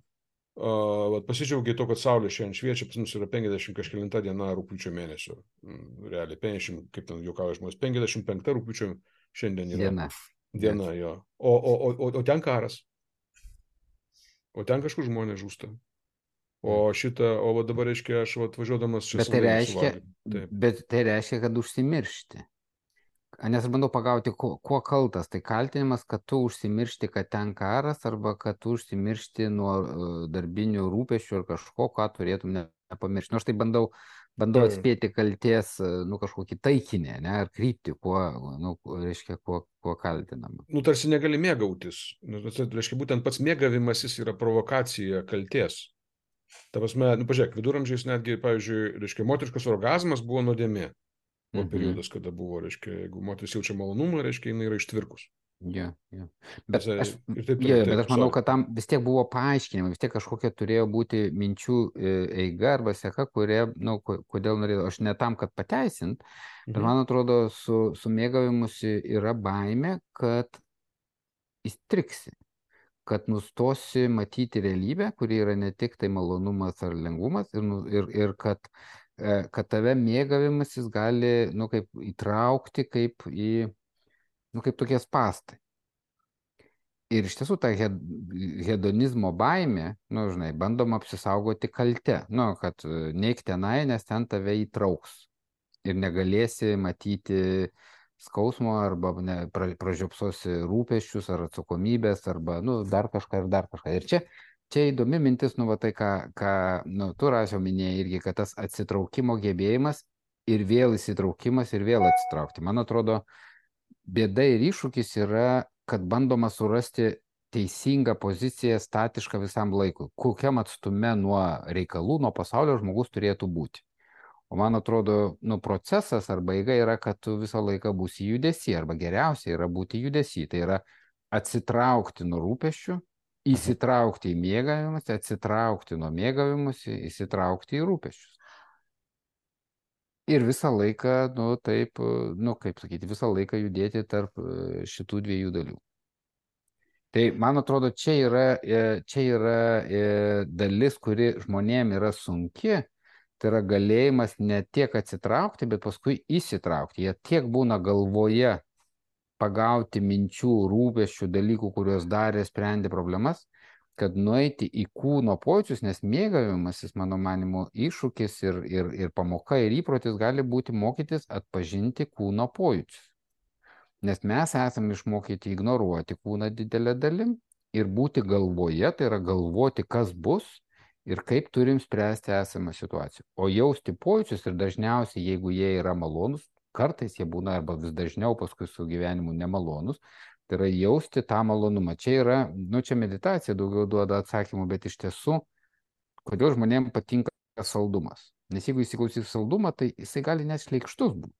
Uh, pasidžiaugiai to, kad saulė šiandien šviečia, pas mus yra penkiasdešimt kažkelinta diena rugpjūčio mėnesio. Mm, realiai, penkiasdešimt, kaip ten juokauja žmonės, penkiasdešimt penkta rugpjūčio šiandien yra. Diena. Diena, jo. O, o, o, o ten karas. O ten kažkur žmonės žūsta. O šitą, o va dabar reiškia, aš va, atvažiuodamas čia bet tai reiškia, bet tai reiškia, kad užsimiršti. Nes aš bandau pagauti, kuo, kuo kaltas. Tai kaltinimas, kad tu užsimiršti, kad ten karas, arba kad tu užsimiršti nuo darbinių rūpesčių ar kažko, ką turėtum nepamiršti. Nors tai bandau, bandau atspėti kalties, nu, kažkokį taikinį, ne, ar kryptį, kuo, nu, reiškia, kuo, kuo kaltinama. Nu, tarsi negali mėgautis. Nes, reiškia, būtent pats mėgavimasis yra provokacija kalties. Ta prasme, nu, pažiūrėk, viduramžiais netgi, pavyzdžiui, reiškia, moteriškas orgazmas buvo nuodėmė. O periodas, kada buvo, reiškia, jeigu moteris jaučia malonumą, reiškia, jinai yra ištvirkus. Jo, jo. Bet Nes, aš, taip, taip, jo, taip, bet aš manau, sorry. kad tam vis tiek buvo paaiškinimai, vis tiek kažkokia turėjo būti minčių eiga arba seka, kurie, nu, kodėl norėjau, aš ne tam, kad pateisint, bet Mhm. man atrodo, su, su mėgavimusi yra baimė, kad įstriksi, kad nustosi matyti realybę, kuri yra ne tik tai malonumas ar lengvumas, ir, nu- ir, ir kad kad tave mėgavimasis gali, nu, kaip įtraukti kaip į, nu, kaip tokie spąstai. Ir iš tiesų ta hed, hedonizmo baimė, nu, žinai, bandoma apsisaugoti kalte, nu, kad neik tenai, nes ten tave įtrauks. Ir negalėsi matyti skausmo arba ne, pra, pražiopsosi rūpesčius ar atsakomybės arba, nu, dar kažką ir dar kažką. Ir čia Čia įdomi mintis, nu, va tai, ką, ką nu, tu Rasiau minėjai irgi, kad tas atsitraukimo gebėjimas ir vėl įsitraukimas ir vėl atsitraukti. Man atrodo, bėda ir iššūkis yra, kad bandoma surasti teisingą poziciją statišką visam laikui. Kokiam atstume nuo reikalų, nuo pasaulio žmogus turėtų būti. O man atrodo, nu, procesas arba eiga yra, kad tu visą laiką būsi judesy, arba geriausia yra būti judesy. Tai yra atsitraukti nuo rūpesčių įsitraukti į mėgavimus, atsitraukti nuo mėgavimus, įsitraukti į rūpesčius. Ir visą laiką, nu taip, nu kaip sakyti, visą laiką judėti tarp šitų dviejų dalių. Tai man atrodo, čia yra, čia yra dalis, kuri žmonėm yra sunki, tai yra galėjimas ne tiek atsitraukti, bet paskui įsitraukti. Jie tiek būna galvoje pagauti minčių, rūpesčių, dalykų, kuriuos darė, sprendė problemas, kad nueiti į kūno pojūčius, nes mėgavimasis, mano manimu, iššūkis ir, ir, ir pamoka ir įprotis gali būti mokytis atpažinti kūno pojūčius. Nes mes esame išmokyti ignoruoti kūną didelę dalim ir būti galvoje, tai yra galvoti, kas bus ir kaip turim spręsti esamą situaciją. O jausti pojūčius ir dažniausiai, jeigu jie yra malonus, kartais jie būna arba vis dažniau paskui su gyvenimu nemalonus, tai yra jausti tą malonumą. Čia yra, nu čia meditacija daugiau duoda atsakymų, bet iš tiesų, kodėl žmonėms patinka saldumas. Nes jeigu įsiklausys saldumą, tai jisai gali net šleikštus būti.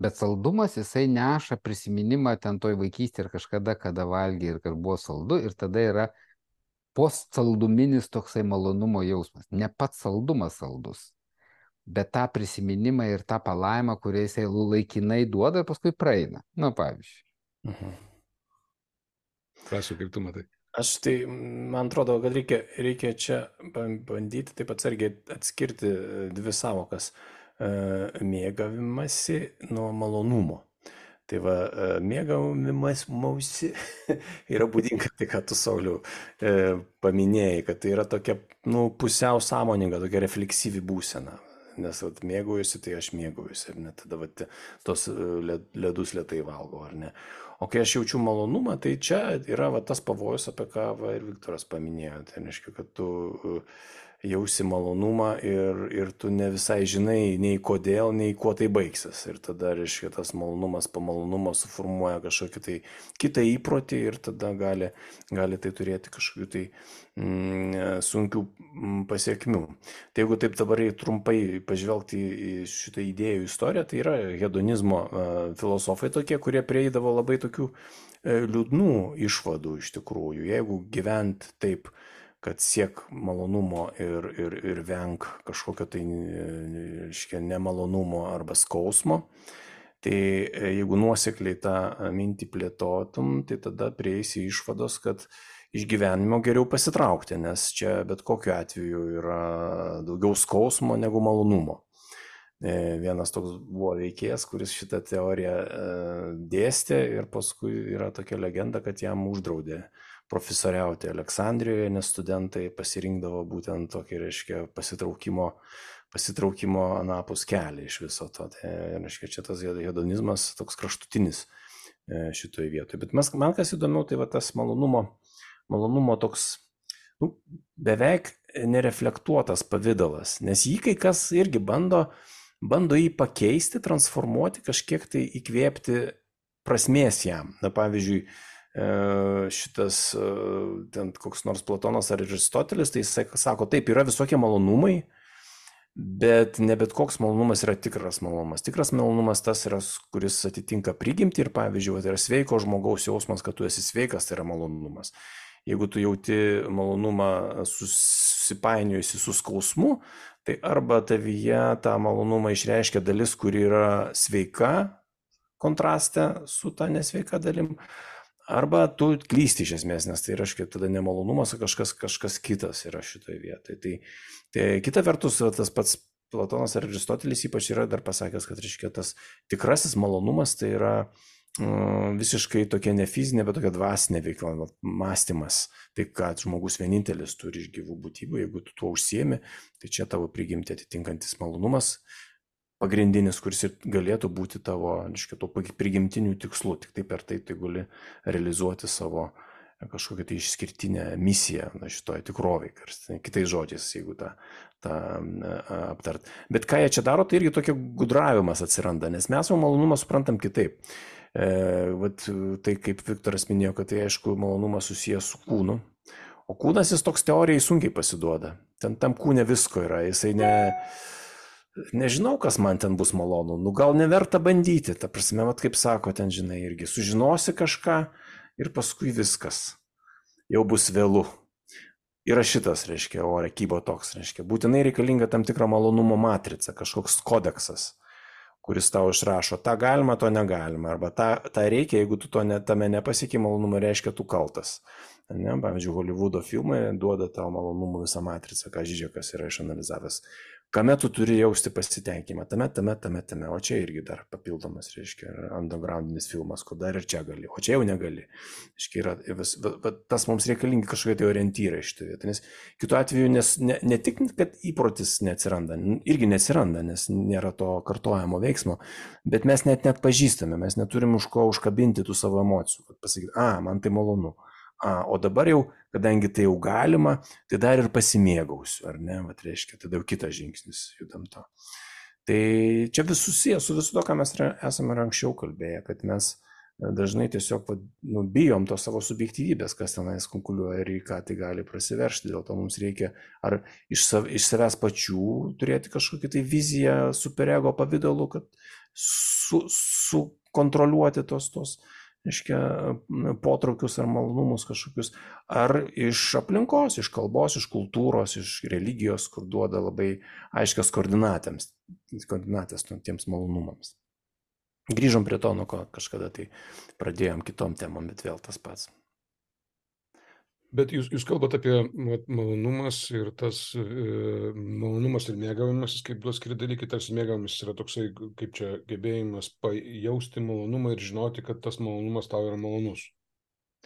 Bet saldumas jisai neša prisiminimą ten toj vaikystėje ir kažkada, kada valgė ir kad buvo saldu, ir tada yra postsalduminis toksai malonumo jausmas. Ne pats saldumas saldus, bet tą prisiminimą ir tą palaimą, kurią jisai laikinai duoda ir paskui praeina. Nu, pavyzdžiui. Mhm. Prašau, kaip tu matai. Aš tai, man atrodo, kad reikia, reikia čia bandyti taip atsargiai atskirti dvi savokas. Mėgavimasi nuo malonumo. Tai va, mėgavimas mausi yra būdinga, tai ką tu, Sauliau, paminėjai, kad tai yra tokia, nu, pusiau sąmoninga, tokia refleksyvi būsena. Nes vat, mėgaujusi, tai aš mėgaujusi, ar ne, tada vat, tos ledus lėtai valgau, ar ne. O kai aš jaučiu malonumą, tai čia yra va, tas pavojus, apie ką va, ir Viktoras paminėjo. Tai reiškia, kad tu jausi malonumą ir, ir tu ne visai žinai nei kodėl, nei kuo tai baigsis. Ir tada, reiškia, tas malonumas po malonumo suformuoja kažkokį tai kitą įprotį ir tada gali, gali tai turėti kažkokių tai mm, sunkių pasiekmių. Tai jeigu taip dabar trumpai pažvelgti į šitą idėjų istoriją, tai yra hedonizmo filosofai tokie, kurie prieidavo labai tokių liūdnų išvadų iš tikrųjų. Jeigu gyvent taip, kad siek malonumo ir, ir, ir venk kažkokio tai reiškia, nemalonumo arba skausmo, tai jeigu nuosekliai tą mintį plėtotum, tai tada prieisi išvados, kad iš gyvenimo geriau pasitraukti, nes čia bet kokiu atveju yra daugiau skausmo negu malonumo. Vienas toks buvo veikėjas, kuris šitą teoriją dėstė ir paskui yra tokia legenda, kad jam uždraudė profesoriauti Aleksandrijoje, nes studentai pasirinkdavo būtent tokį, reiškia, pasitraukimo, pasitraukimo anapus kelią iš viso to. Tai, reiškia, čia tas hedonizmas toks kraštutinis šitoje vietoje. Bet mes, man kas įdomiau, tai va tas malonumo, malonumo toks nu, beveik nereflektuotas pavidalas, nes jį kai kas irgi bando, bando jį pakeisti, transformuoti, kažkiek tai įkvėpti prasmės jam. Na, pavyzdžiui, šitas ten koks nors Platonas ar Aristotelis, tai jis sako, taip, yra visokie malonumai, bet ne bet koks malonumas yra tikras malonumas. Tikras malonumas tas yra, kuris atitinka prigimtį ir, pavyzdžiui, tai yra sveiko žmogaus jausmas, kad tu esi sveikas, tai yra malonumas. Jeigu tu jauti malonumą susipainiojusi su skausmu, tai arba tavyje tą malonumą išreiškia dalis, kuri yra sveika, kontraste su ta nesveika dalim, arba tu klysti iš esmės, nes tai reiškia tada nemalonumas, kažkas, kažkas kitas yra šitoje vietoje. Tai, tai kita vertus, tas pats Platonas ar Aristotelis ypač yra dar pasakęs, kad reiškia tas tikrasis malonumas tai yra mm, visiškai tokia ne fizinė, bet tokia dvasinė veikla, mąstymas. Tai kad žmogus vienintelis turi iš gyvų būtybių, jeigu tu tuo užsiemi, tai čia tavo prigimtį atitinkantis malonumas pagrindinis, kuris ir galėtų būti tavo, reiškia, to prigimtinių tikslų, tik tai per tai tai gali realizuoti savo kažkokią tai išskirtinę misiją na, šitoje tikrovėje, kitais žodžiais, jeigu tą, tą aptart. Bet ką jie čia daro, tai irgi tokia gudravimas atsiranda, nes mes savo malonumą suprantam kitaip. E, vat, tai kaip Viktoras minėjo, kad tai aišku malonumas susijęs su kūnu, o kūnas jis toks teorijai sunkiai pasiduoda. Ten tam kūne visko yra, jisai ne... Nežinau, kas man ten bus malonu, nu gal neverta bandyti, ta prasme, vat kaip sako ten, žinai, irgi sužinosi kažką ir paskui viskas. jau bus vėlu. Yra šitas, reiškia, ore kybo toks, reiškia, būtinai reikalinga tam tikra malonumo matrica, kažkoks kodeksas, kuris tau išrašo, tą galima, to negalima, arba tą, tą reikia, jeigu tu to ne, tame nepasieki malonumo, reiškia, tu kaltas. Ne? Pavyzdžiui, Hollywoodo filmai duoda tau malonumų visą matricą, ką Žižekas yra išanalizavęs. Kame tu turi jausti pasitenkinimą? Tame, tame, tame, tame. O čia irgi dar papildomas, reiškia, undergroundinis filmas, kur dar ir čia gali, o čia jau negali. Reiškia, yra, vis, bet tas mums reikalingi kažkokie tai orientyrai šitą vietą, nes kitu atveju, nes ne, ne tik, kad įprotis neatsiranda, irgi neatsiranda, nes nėra to kartojamo veiksmo, bet mes net net pažįstame, mes neturim už ko užkabinti tų savo emocijų, kad pasakyti, a, man tai malonu. A, o dabar jau, kadangi tai jau galima, tai dar ir pasimėgausiu, ar ne, vat reiškia, tada jau kitas žingsnis judam to. Tai čia vis susijęs su visu to, ką mes esame ir anksčiau kalbėję, kad mes dažnai tiesiog nu, bijom to savo subjektyvybės, kas tenais konkuliuoja ir į ką tai gali prasiveršti, dėl to mums reikia ar iš, sav, iš savęs pačių turėti kažkokį tai viziją superego pavidalu, kad su, sukontroliuoti tos tos reiškia, potraukius ar malonumus kažkokius, ar iš aplinkos, iš kalbos, iš kultūros, iš religijos, kur duoda labai aiškias koordinatėms, koordinatės tiems malonumams. Grįžom prie to, nuo ko kažkada tai pradėjom kitom temom, bet vėl tas pats. Bet jūs, jūs kalbate apie malonumas ir tas e, malonumas ir mėgavimas, kaip duos skiri dalykai, tarsi mėgavimas yra toksai, kaip čia gebėjimas jausti malonumą ir žinoti, kad tas malonumas tau yra malonus.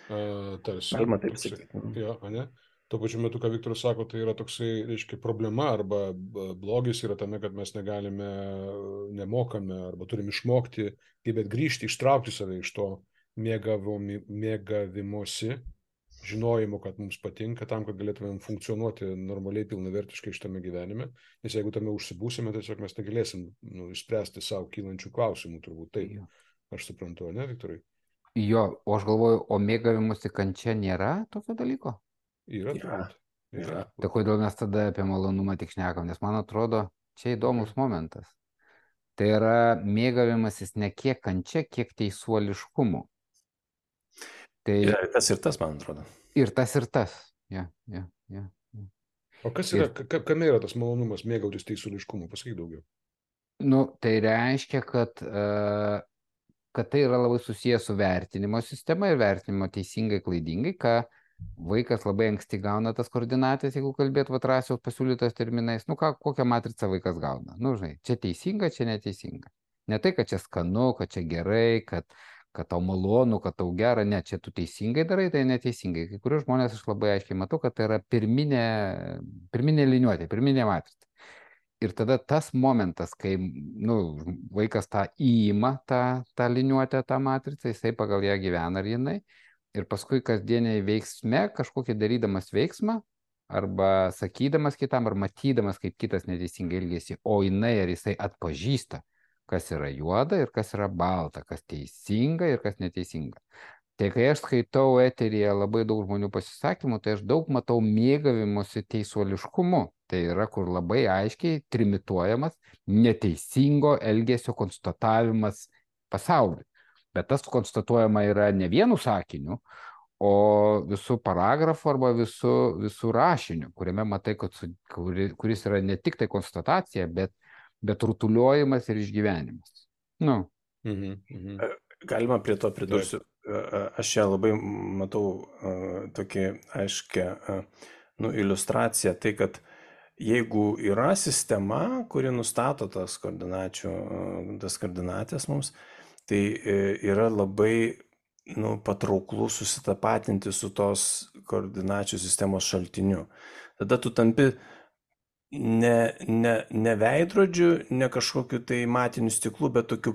E, tarsi. Galima taip sakyti. Jo, ne? Tuo pačiu metu, ką Viktoras sako, tai yra toksai, reiškia, problema arba blogis yra tame, kad mes negalime, nemokame arba turim išmokti, gebėt grįžti, ištraukti save iš to mėgavomi, mėgavimosi. Žinojimo, kad mums patinka, tam, kad galėtumėm funkcionuoti normaliai, pilnavertiškai šitame gyvenime, nes jeigu tame užsibūsime, tiesiog mes negalėsim nu, išspręsti savo kylančių klausimų, turbūt taip, aš suprantu, ne, Viktorai? Jo, o aš galvoju, o mėgavimusi kančia nėra tokio dalyko? Yra, turbūt. Yra. Tai kodėl mes tada apie malonumą tik šnekam, nes man atrodo, čia įdomus momentas. Tai yra mėgavimasis ne kiek kančia, kiek teisuoliškumu. Tai... Ir tas ir tas, man atrodo. Ir tas ir tas. Ja, ja, ja, ja. O kas yra, ir... kame yra tas malonumas mėgautis teisuoliškumu? Pasakyk daugiau. Nu, tai reiškia, kad, uh, kad tai yra labai susijęs su vertinimo sistema ir vertinimo teisingai, klaidingai, ką vaikas labai anksti gauna tas koordinatės, jeigu kalbėt vat Rasiaus pasiūlytos terminais. Nu, ką, kokią matricą vaikas gauna? Nu, žinai, čia teisinga, čia neteisinga. Ne tai, kad čia skanu, kad čia gerai, kad... kad tau malonu, kad tau gera, ne, čia tu teisingai darai, tai neteisingai. Kai kurių žmonės aš labai aiškiai matau, kad tai yra pirminė, pirminė liniuotė, pirminė matrica. Ir tada tas momentas, kai nu, vaikas tą įima, tą, tą liniuotę, tą matricą, jisai pagal ją gyvena ar jinai, ir paskui kasdieniai veiksme, kažkokį darydamas veiksmą, arba sakydamas kitam, ar matydamas, kaip kitas neteisingai elgėsi, o jinai ar jisai atpažįsta, kas yra juoda ir kas yra balta, kas teisinga ir kas neteisinga. Tai kai aš skaitau eteryje labai daug žmonių pasisakymų, tai aš daug matau mėgavimosi teisuoliškumu. Tai yra, kur labai aiškiai trimituojamas neteisingo elgesio konstatavimas pasauliui. Bet tas konstatuojama yra ne vienu sakiniu, o visų paragrafų arba visų, visų rašinių, kuriame matai, kad, kuri, kuris yra ne tik tai konstatacija, bet bet rutuliojimas ir išgyvenimas. Nu. Mhm, mhm. Galima prie to pridursiu. Aš čia labai matau uh, tokį aiškę uh, nu, iliustraciją, tai kad jeigu yra sistema, kuri nustato tas koordinačių, uh, tas koordinatės mums, tai uh, yra labai nu, patrauklų susitapatinti su tos koordinačių sistemos šaltiniu. Tada tu tampi Ne, ne, ne veidrodžiu, ne kažkokiu tai matiniu stiklu, bet tokiu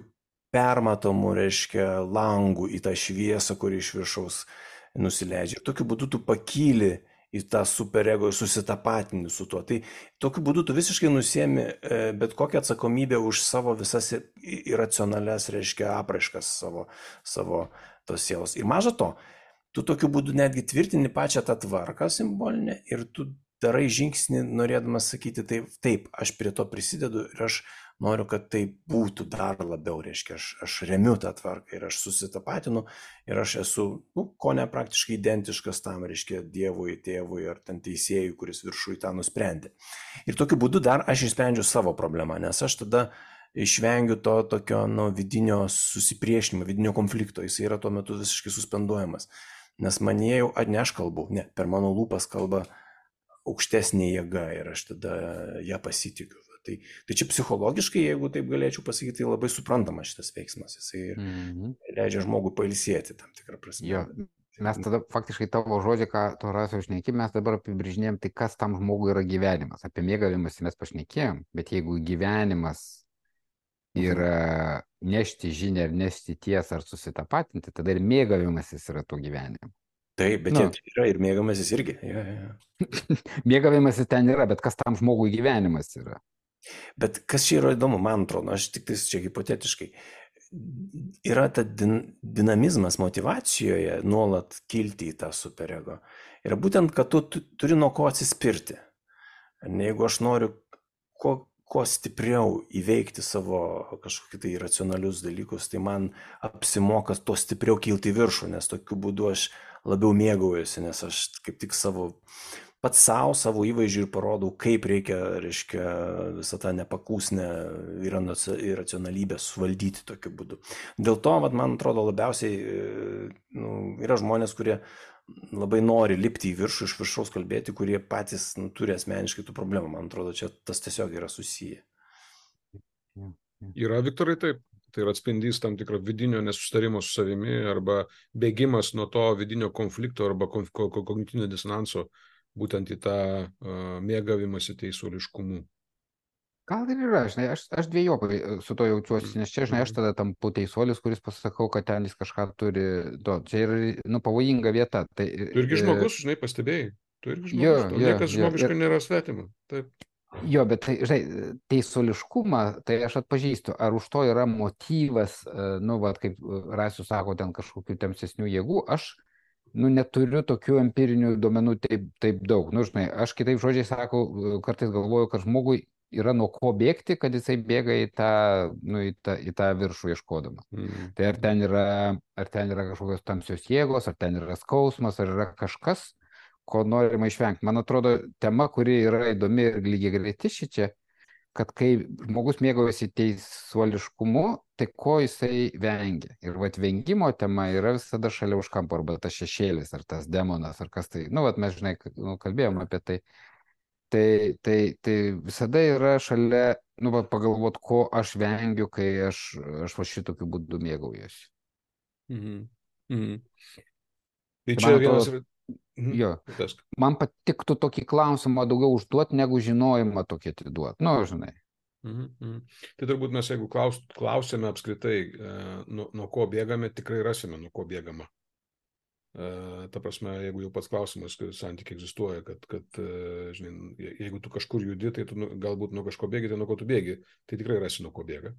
permatomu, reiškia, langų į tą šviesą, kuri iš viršaus nusileidžia. Ir tokiu būdu tu pakyli į tą superego ir susitapatini su tuo. Tai tokiu būdu tu visiškai nusiemi bet kokią atsakomybę už savo visas iracionalias, reiškia, apraiškas savo, savo tos sielos. Ir maža to, tu tokiu būdu netgi tvirtini pačią tą tvarką simbolinę ir tu darai žingsnį, norėdamas sakyti, taip, taip, aš prie to prisidedu ir aš noriu, kad tai būtų dar labiau, reiškia, aš, aš remiu tą tvarką ir aš susitapatinu ir aš esu, nu, ko ne praktiškai identiškas tam, reiškia, Dievui, tėvui ar ten teisėjui, kuris viršui tą nusprendė. Ir tokiu būdu dar aš išsprendžiu savo problemą, nes aš tada išvengiu to tokio, nu, vidinio susipriešinimo, vidinio konflikto, jis yra tuo metu visiškai suspenduojamas. Nes man jau, ar ne aš kalbu, ne, per mano lūpas kalba aukštesnė jėga ir aš tada ją pasitikiu. Tai, tai čia psichologiškai, jeigu taip galėčiau pasakyti, tai labai suprantama šitas veiksmas. Jisai mm-hmm. leidžia žmogui pailsėti tam tikrą prasme. Jo. Mes tada faktiškai tavo žodžią, ką tu Rasiau šneki, mes dabar apibrėžinėjom, tai kas tam žmogui yra gyvenimas. Apie mėgavimąsi mes pašnekėjom, bet jeigu gyvenimas yra nešti žinią ar nešti tiesą ar susitapatinti, tada ir mėgavimasis yra to gyvenimu. Taip, bet nu. Yra ir mėgavimasis irgi. Ja, ja. Mėgavimasis ten yra, bet kas tam žmogui gyvenimas yra? Bet kas čia yra įdomu, man atrodo, aš tik tai čia hipotetiškai, yra ta din, dinamizmas motivacijoje nuolat kilti į tą superego. Ir būtent, kad tu, tu turi nuo ko atsispirti. Jeigu aš noriu ko kuo stipriau įveikti savo kažkokį tai racionalius dalykus, tai man apsimoka to stipriau kilti į viršų, nes tokiu būdu aš labiau mėgaujuosi, nes aš kaip tik savo, pats savo, savo įvaizdžių ir parodau, kaip reikia, reiškia, visą tą nepakūsnę iracionalybę suvaldyti tokiu būdu. Dėl to, vat, man atrodo, labiausiai nu, yra žmonės, kurie labai nori lipti į viršų, iš viršaus kalbėti, kurie patys nu, turi asmeniškai tų problemų. Man atrodo, čia tas tiesiog yra susiję. Yra, Viktorai, taip. Tai yra atspindys tam tikro vidinio nesustarimo su savimi arba bėgimas nuo to vidinio konflikto arba kognityvinio disonanso būtent į tą uh, mėgavimąsi teisuoliškumu. Gal ir yra, žinai, aš, aš dviejopai su to jaučiuosi, nes čia, žinai, aš tada tampu teisuolis, kuris pasakau, kad ten jis kažką turi, to, čia yra, nu, pavojinga vieta. Tai, tu irgi žmogus, žinai, pastebėjai, tu irgi žmogus, jo, to, jo, niekas žmogiškai ir... nėra svetima. Taip. Jo, bet, tai, žinai, teisuoliškumą, tai aš atpažįstu, ar už to yra motyvas, nu, va, kaip Rasius sako, ten kažkokių tamsesnių jėgų, aš, nu, neturiu tokių empirinių duomenų taip, taip daug. Nu, žinai, aš kitaip žodžiai sakau, kartais galvoju, kad žmogui yra nuo ko bėgti, kad jisai bėga į tą, nu, į tą, į tą viršų ieškodamas. Mm. Tai ar ten, yra, ar ten yra kažkokios tamsios jėgos, ar ten yra skausmas, ar yra kažkas, ko norima išvengti. Man atrodo, tema, kuri yra įdomi ir lygiai greiti šičia, kad kai žmogus mėgaujasi teisuoliškumu, tai ko jisai vengia. Ir vat vengimo tema yra visada šalia už kampo, arba tas šešėlis, ar tas demonas, ar kas tai. Nu, vat mes, žinai, nu, kalbėjom apie tai. Tai, tai, tai visada yra šalia, nu, pagalvot, ko aš vengiu, kai aš, aš va šitokiu būdu mėgaujuosi. Mhm. Mhm. Tai čia vienas ir... Mhm. Jo, man patiktų tokį klausimą daugiau užduoti, negu žinojimą tokį atiduoti. Nu, žinai. Mhm. Mhm. Tai turbūt mes, jeigu klaus, klausėme apskritai, nuo, nuo ko bėgame, tikrai rasime, nuo ko bėgama. Uh, ta prasme, jeigu jau pats klausimas, kad santykiai egzistuoja, kad, kad uh, žinai, jeigu tu kažkur judi, tai tu nu, galbūt nuo kažko bėgi, tai nuo ko tu bėgi, tai tikrai rasi nuo ko bėga.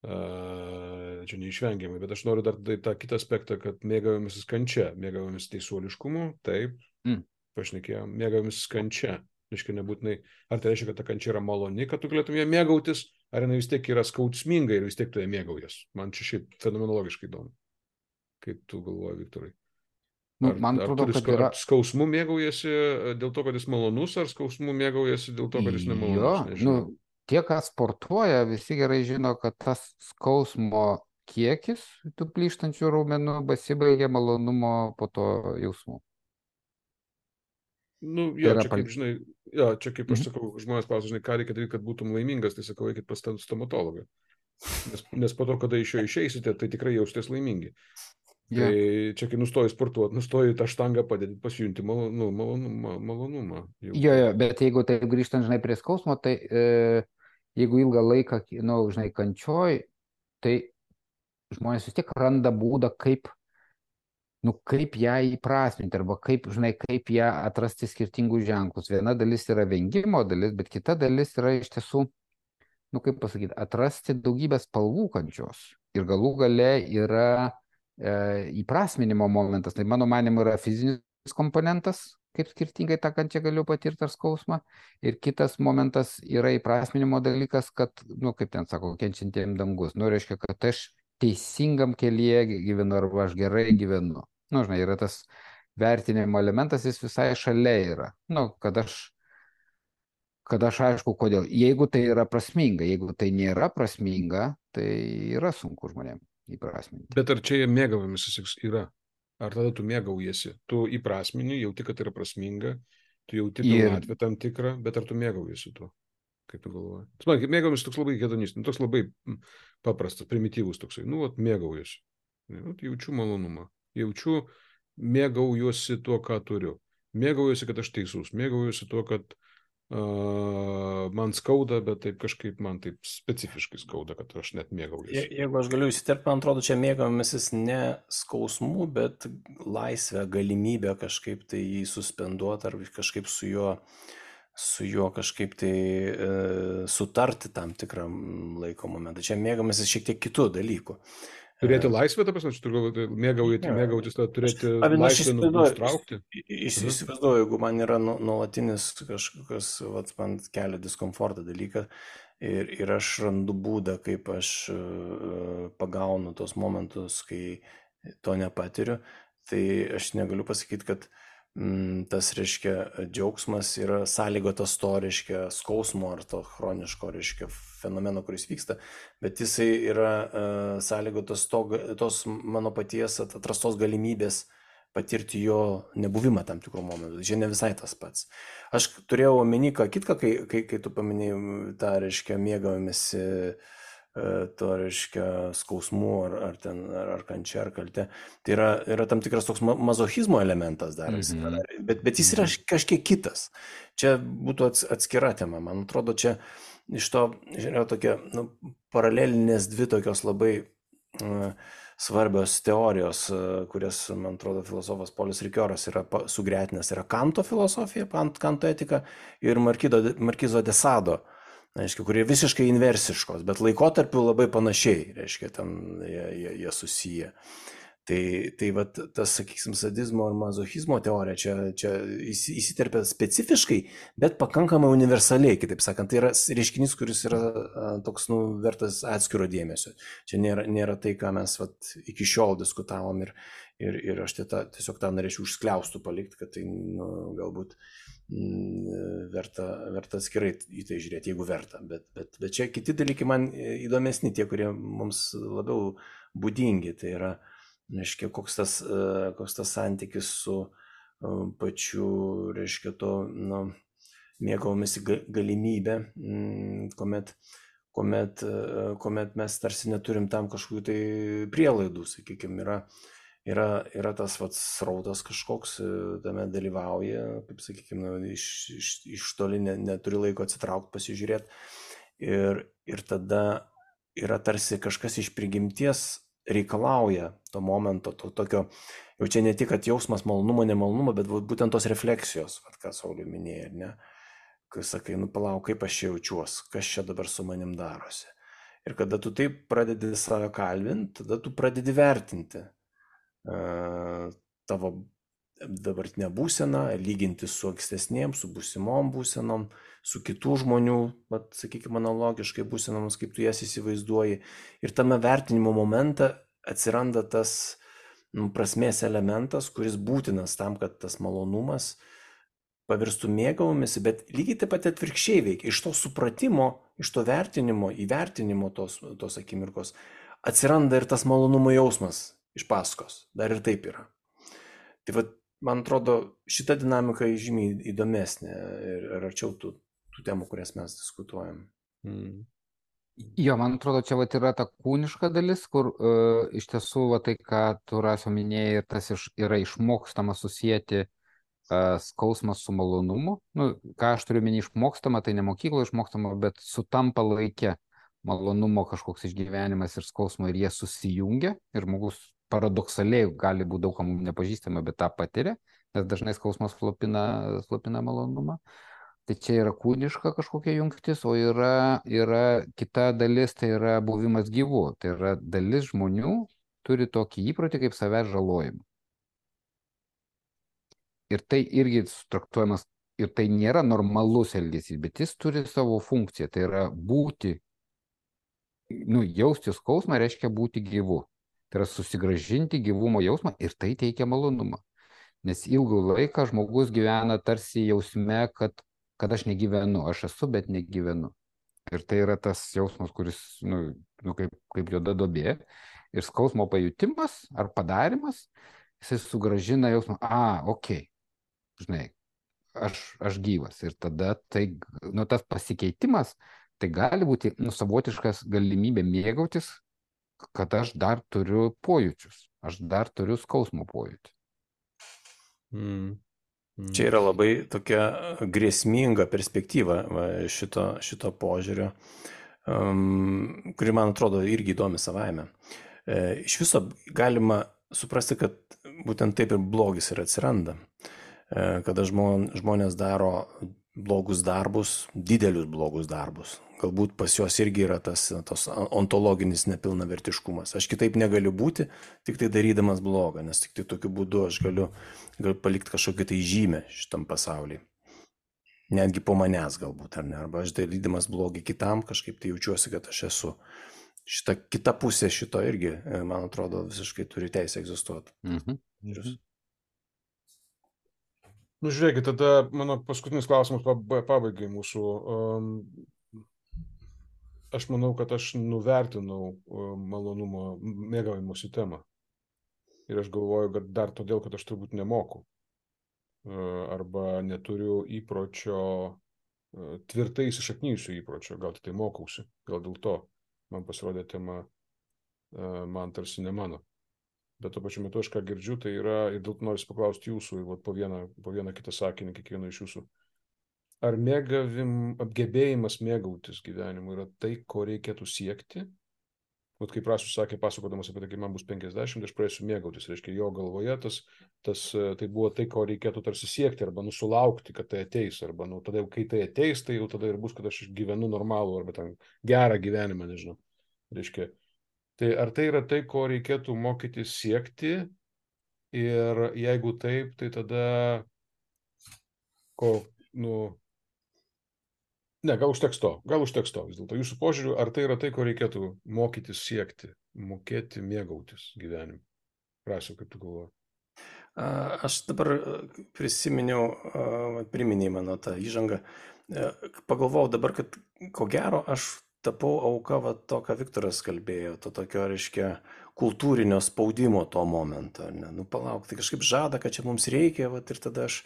Uh, čia neišvengiamai, bet aš noriu dar tai, tą kitą aspektą, kad mėgavimasis kančia, mėgavimasis teisuoliškumu, taip, mm. pašnekėjom, mėgavimasis kančia, reiškia nebūtinai, ar tai reiškia, kad ta kančia yra maloni, kad tu galėtum ją mėgautis, ar jinai vis tiek yra skausminga ir vis tiek tu ją mėgaujas. Man čia šiaip fenomenologiškai įdomu. Kaip tu galvoji, Viktorai? Ar, man atrodo, ar, kad yra... ar skausmu mėgaujasi dėl to, kad jis malonus, ar skausmu mėgaujasi dėl to, kad jis nemalonus? Jo, nu, tie, kas sportuoja, visi gerai žino, kad tas skausmo kiekis tų plyštančių raumenų pasibaigia malonumo po to jausmu. Nu, jo, čia kaip, žinai, jo, čia kaip aš sakau, žmonės klausia, žinai, ką reikia daryti, kad būtum laimingas, tai sakau, eikit pas stomatologą. Nes, nes po to, kada iš jo išeisite, tai tikrai jaustės laimingi. Tai yeah. Čia, kai nustoji sportuoti, nustoji tą štangą padėti, pasijunti malonu, malonumą. malonumą jo, jo, bet jeigu tai grįžtant, žinai, prie skausmo, tai e, jeigu ilgą laiką, nu, žinai, kančioj, tai žmonės vis tiek randa būdą, kaip, nu, kaip ją įprasminti, arba kaip, žinai, kaip ją atrasti skirtingus ženklus. Viena dalis yra vengimo dalis, bet kita dalis yra iš tiesų, nu, kaip pasakyti, atrasti daugybę spalvų kančios. Ir galų gale yra įprasminimo momentas, tai mano manimu yra fizinis komponentas, kaip skirtingai tą kančią galiu patirti ar skausmą. Ir kitas momentas yra įprasminimo dalykas, kad, nu, kaip ten sako, kenčiantiem dangus. Nu, reiškia, kad aš teisingam kelyje gyvenu arba aš gerai gyvenu. Nu, žinai, yra tas vertinimo elementas, jis visai šalia yra. Nu, kad aš kad aš aišku, kodėl. Jeigu tai yra prasminga, jeigu tai nėra prasminga, tai yra sunku žmonėms įprasminti. Bet ar čia mėgavimasis yra? Ar tada tu mėgaujasi? Tu įprasmini, jauti, kad yra prasminga, tu jauti pilnatvę tam tikrą, bet ar tu mėgaujasi tuo? Kaip tu galvoji? Man, mėgavimas toks labai hedonistas, toks labai paprastas, primityvus toksai. Nu, vat, mėgaujasi. Nu, jaučiu malonumą. Jaučiu, mėgaujuosi tuo, ką turiu. Mėgaujuosi, kad aš teisus. Mėgaujuosi tuo, kad Uh, man skauda, bet taip kažkaip man taip specifiškai skauda, kad aš net mėgaujuosi. Je, jeigu aš galiu įsiterpti, man atrodo, čia mėgavimasis ne skausmu, bet laisvę, galimybę kažkaip tai jį suspenduoti ar kažkaip su juo, su juo kažkaip tai e, sutarti tam tikrą laiko momentą. Čia mėgavimasis šiek tiek kitų dalykų. Turėti laisvę, ta prasme, tu mėgauti, mėgautis, tą turėti laisvę nustraukti. Įsivaizduoju, jeigu man yra nuolatinis kažkokios, vat, man kelia diskomfortą dalyką ir, ir aš randu būdą, kaip aš uh, pagaunu tos momentus, kai to nepatiriu, tai aš negaliu pasakyti, kad mm, tas, reiškia, džiaugsmas yra sąlygotas to, reiškia, skausmo ar to chroniško, reiškia, fenomeno, kuris vyksta, bet jisai yra uh, sąlygotas to, tos mano paties atrastos galimybės patirti jo nebuvimą tam tikrų momentų. Čia ne visai tas pats. Aš turėjau omeny ką kitką, kai, kai, kai tu paminėjai tą, reiškia, mėgavimėsi uh, to, reiškia, skausmų ar, ar, ten, ar, ar kančia, ar kalte. Tai yra, yra tam tikras toks mazochizmo elementas dar, mm-hmm. bet, bet jis yra kažkiek kitas. Čia būtų atskira tema. Man atrodo, čia iš to yra tokia, nu, paralelinės dvi tokios labai uh, svarbios teorijos, uh, kurias, man atrodo, filosofas Polis Rikioras yra sugretinęs. Yra Kanto filosofija, Kanto etika ir Markizo de Sado, reiškia, kurie visiškai inversiškos, bet laikotarpiu labai panašiai, reiškia, ten jie, jie, jie susiję. Tai, tai vat, tas, sakysim, sadizmo ar mazochizmo teorija čia, čia įsiterpia specifiškai, bet pakankamai universaliai, kitaip sakant, tai yra reiškinys, kuris yra toks, nu, vertas atskiro dėmesio. Čia nėra, nėra tai, ką mes vat, iki šiol diskutavom ir, ir, ir aš tą, tiesiog tą norėčiau užskliaustų palikti, kad tai, nu, galbūt m, verta, verta atskirai į tai žiūrėti, jeigu verta. Bet, bet, bet čia kiti dalykai man įdomesni, tie, kurie mums labiau būdingi, tai yra, reiškia, koks tas, koks tas santykis su pačiu, reiškia, to, nu, mėgavomisi galimybę, kuomet, kuomet, kuomet mes tarsi neturim tam kažkokių tai prielaidų, sakykime, yra, yra, yra tas vats srautas kažkoks, tame dalyvauja, kaip sakykime, iš, iš, iš toli ne, neturi laiko atsitraukti, pasižiūrėti ir, ir tada yra tarsi kažkas iš prigimties reikalauja to momento, to tokio, jau čia ne tik, kad jausmas malonumo, nemalonumo, bet būtent tos refleksijos, vat, ką Saulius minėjo, ne? Kai sakai, nu palauk, kaip aš čia jaučiuos, kas čia dabar su manim darosi. Ir kada tu taip pradedi save kalbinti, tada tu pradedi vertinti uh, tavo dabartinę būseną, lyginti su ankstesnėm, su būsimom būsenom, su kitų žmonių, vat, sakykime, analogiškai būsenoms, kaip tu jas įsivaizduoji. Ir tame vertinimo momente atsiranda tas, nu, prasmės elementas, kuris būtinas tam, kad tas malonumas pavirstų mėgavimisi, bet lygiai taip pat atvirkščiai veikia. Iš to supratimo, iš to vertinimo, įvertinimo tos, tos akimirkos atsiranda ir tas malonumo jausmas iš paskos. Dar ir taip yra. Tai vat, man atrodo, šita dinamika žymiai įdomesnė ir, ir arčiau tų, tų temų, kurias mes diskutuojam. Mm. Jo, man atrodo, čia vat yra ta kūniška dalis, kur uh, iš tiesų va, tai, ką tu Rasio minėjai, tas iš, yra išmokstama susijęti uh, skausmą su malonumu. Nu, ką aš turiu minį išmokstama, tai ne mokykloje išmokstama, bet sutampa laike malonumo kažkoks išgyvenimas ir skausmo ir jie susijungia ir žmogus paradoksaliai gali būti daug kam nepažįstama, bet tą patiria, nes dažnai skausmas slopina, slopina malonumą. Tai čia yra kūniška kažkokia jungtis, o yra, yra kita dalis, tai yra buvimas gyvu. Tai yra dalis žmonių turi tokį įprotį kaip savęs žalojimą. ir tai irgi traktuojamas, ir tai nėra normalus elgesys, bet jis turi savo funkciją, tai yra būti, nu, jausti skausmą reiškia būti gyvu. Tai yra susigrąžinti gyvumo jausmą ir tai teikia malonumą. Nes ilgų laiką žmogus gyvena tarsi jausme, kad, kad aš negyvenu, aš esu, bet negyvenu. Ir tai yra tas jausmas, kuris, nu, nu kaip, kaip juoda duobė. Ir skausmo pajutimas ar padarimas, jisai sugrąžina jausmą, a, okei, okay, žinai, aš, aš gyvas. Ir tada tai, nu, tas pasikeitimas, tai gali būti, nu, savotiškas galimybė mėgautis, kad aš dar turiu pojūčius, aš dar turiu skausmo pojūtį. Mm. Mm. Čia yra labai tokia grėsminga perspektyva va, šito, šito požiūrio, um, kuri man atrodo irgi įdomi savaime. E, iš viso galima suprasti, kad būtent taip ir blogis ir atsiranda. E, kada žmon, žmonės daro blogus darbus, didelius blogus darbus. Galbūt pas juos irgi yra tas, tas ontologinis nepilnavertiškumas. Aš kitaip negaliu būti, tik tai darydamas blogą, nes tik tai tokiu būdu aš galiu, galiu palikti kažkokį tai žymę šitam pasaulyje. Netgi po manęs galbūt, ar ne? Arba aš darydamas blogį kitam, kažkaip tai jaučiuosi, kad aš esu. Šita kita pusė šito irgi, man atrodo, visiškai turi teisę egzistuoti. Mhm. Mhm. Nu, žiūrėkit, tada mano paskutinis klausimas pabaigai mūsų. Um, aš manau, kad aš nuvertinau malonumo mėgavimosi temą. Ir aš galvoju, kad dar todėl, kad aš turbūt nemoku. Arba neturiu įpročio, tvirtai įsišaknyjusių įpročio. Gal tai mokausi. Gal dėl to man pasirodė tema man tarsi ne mano. Bet tuo pačiu metu aš ką girdžiu, tai yra, ir dėl to noriu paklausti jūsų, ir po vieną, po vieną kitą sakinį, kiekvieno iš jūsų. Ar mėgavim, apgebėjimas mėgautis gyvenimu yra tai, ko reikėtų siekti? Vat kaip Rasius sakė, pasakodamas apie tai, kai man bus penkiasdešimt, aš pradėsiu mėgautis. Reiškia, jo galvoje tas, tas, tai buvo tai, ko reikėtų tarsi siekti, arba nusulaukti, kad tai ateis. Arba nu, tada, kai tai ateis, tai jau tada ir bus, kad aš gyvenu normalų, arba ten gerą gyvenimą, nežinau. Reiškia, tai ar tai yra tai, ko reikėtų mokytis siekti? Ir jeigu taip, tai tada ko, nu, ne, gal užteks to, gal užteks to vis dėlto. Jūsų požiūriu, ar tai yra tai, ko reikėtų mokytis siekti, mokėti mėgautis gyvenimu? Rasiu, kaip tu galvoji? Aš dabar prisiminiau, priminėjai mano tą įžangą. Pagalvojau dabar, kad ko gero aš tapau auka va, to, ką Viktoras kalbėjo, to tokio, reiškia, kultūrinio spaudimo to momento. Ne? Nu, palauk, tai kažkaip žada, kad čia mums reikia, va, ir tada aš,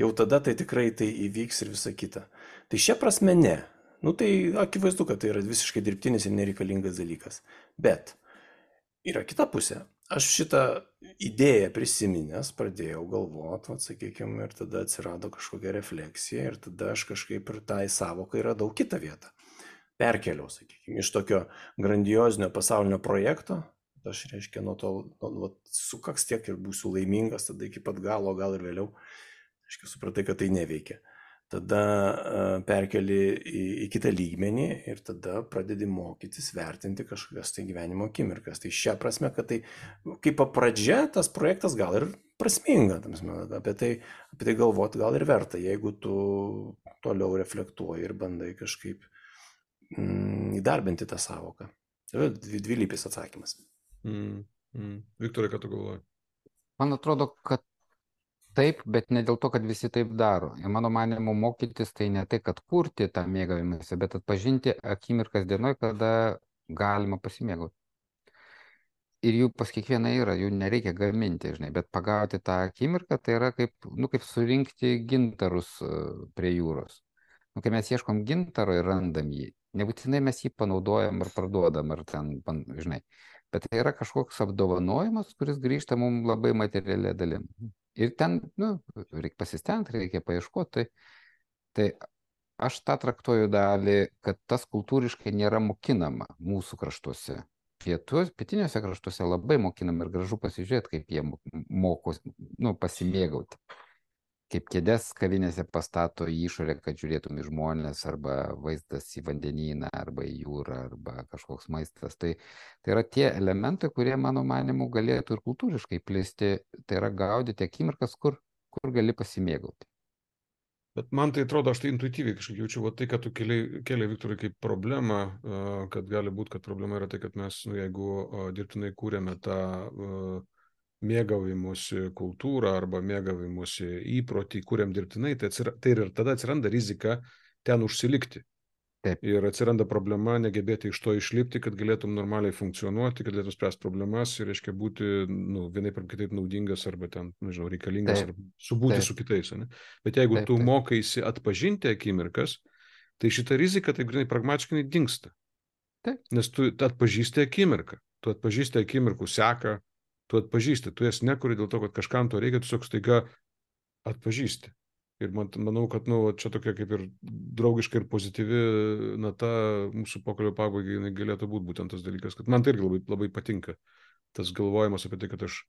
jau tada tai tikrai tai įvyks ir visa kita. Tai šia prasme ne. Nu, tai akivaizdu, kad tai yra visiškai dirbtinis ir nereikalingas dalykas. Bet yra kita pusė. Aš šitą idėją prisiminęs pradėjau galvoti, sakykime, ir tada atsirado kažkokia refleksija ir tada aš kažkaip ir tai savokai radau kitą vietą. Perkeliau, sakykime, iš tokio grandiozinio pasaulinio projekto, aš reiškia nuo to, nuo, sukaks tiek ir būsiu laimingas, tada iki pat galo, gal ir vėliau, reiškia, supratai, kad tai neveikia. Tada uh, perkeli į, į kitą lygmenį ir tada pradedi mokytis, vertinti kažkokias tai gyvenimo akimirkas. Tai šią prasme, kad tai kaip pradžia, tas projektas gal ir prasminga, apie tai, apie tai galvoti gal ir verta, jeigu tu toliau reflektuoji ir bandai kažkaip mm, įdarbinti tą savoką. Tai yra dvilypis atsakymas. Mm, mm. Viktorai, ką tu galvoji? Man atrodo, kad taip, bet ne dėl to, kad visi taip daro. Ir mano manymu, mokytis tai ne tai, kad kurti tą mėgavimąsi, bet atpažinti akimirkas dienoj, kada galima pasimėgauti. Ir jų pas kiekvieną yra, jų nereikia gaminti, žinai, bet pagauti tą akimirką, tai yra kaip, nu, kaip surinkti gintarus prie jūros. Nu, kai mes ieškom gintaro ir randam jį, nebūtinai mes jį panaudojam ar parduodam, ar ten, žinai, bet tai yra kažkoks apdovanojimas, kuris grįžta mums labai materialia dalim. Ir ten, nu, reikia pasistengti, reikia paieškoti. Tai, tai aš tą traktuoju dalį, kad tas kultūriškai nėra mokinama mūsų kraštuose. Pietus, pietiniuose kraštuose labai mokinama ir gražu pasižiūrėti, kaip jie moko, nu, pasimėgauti. Kaip kėdės kavinėse pastato į išorę, kad žiūrėtum į žmonės, arba vaizdas į vandenyną, arba į jūrą, arba kažkoks maistas. Tai, tai yra tie elementai, kurie, mano manimu, galėtų ir kultūriškai plisti. Tai yra gaudyti akimirkas, kur kur gali pasimėgauti. Bet man tai atrodo, aš tai intuityviai kažkaip jaučiu, va tai, kad tu keliai, keliai Viktorai, kaip problemą, kad gali būti, kad problema yra tai, kad mes, nu, jeigu dirbtinai kūrėme tą uh, mėgavimusi kultūrą arba mėgavimusi įprotį, kūrėm dirbtinai, tai, atsira, tai ir tada atsiranda rizika ten užsilikti. Taip. Ir atsiranda problema negebėti iš to išlipti, kad galėtum normaliai funkcionuoti, kad galėtum spręsti problemas ir, reiškia, būti, nu, vienaip ar kitaip naudingas arba ten, nežinau, reikalingas Taip. arba subūti Taip. su kitais. Ne? Bet jeigu Taip, tu taip. mokaisi atpažinti akimirkas, tai šita rizika taip grinai pragmatiškai dingsta. Taip. Nes tu atpažįsti akimirką, tu atpažįsti akimirkų seką, tu atpažįsti, tu jas nekuri dėl to, kad kažkam to reikia, tu tiesiog staiga atpažįsti. Ir man, manau, kad nu, čia tokia kaip ir draugiška ir pozityvi nata mūsų pokalbio pabaigai jinai galėtų būti būtent tas dalykas, kad man tai irgi labai, labai patinka tas galvojimas apie tai, kad aš,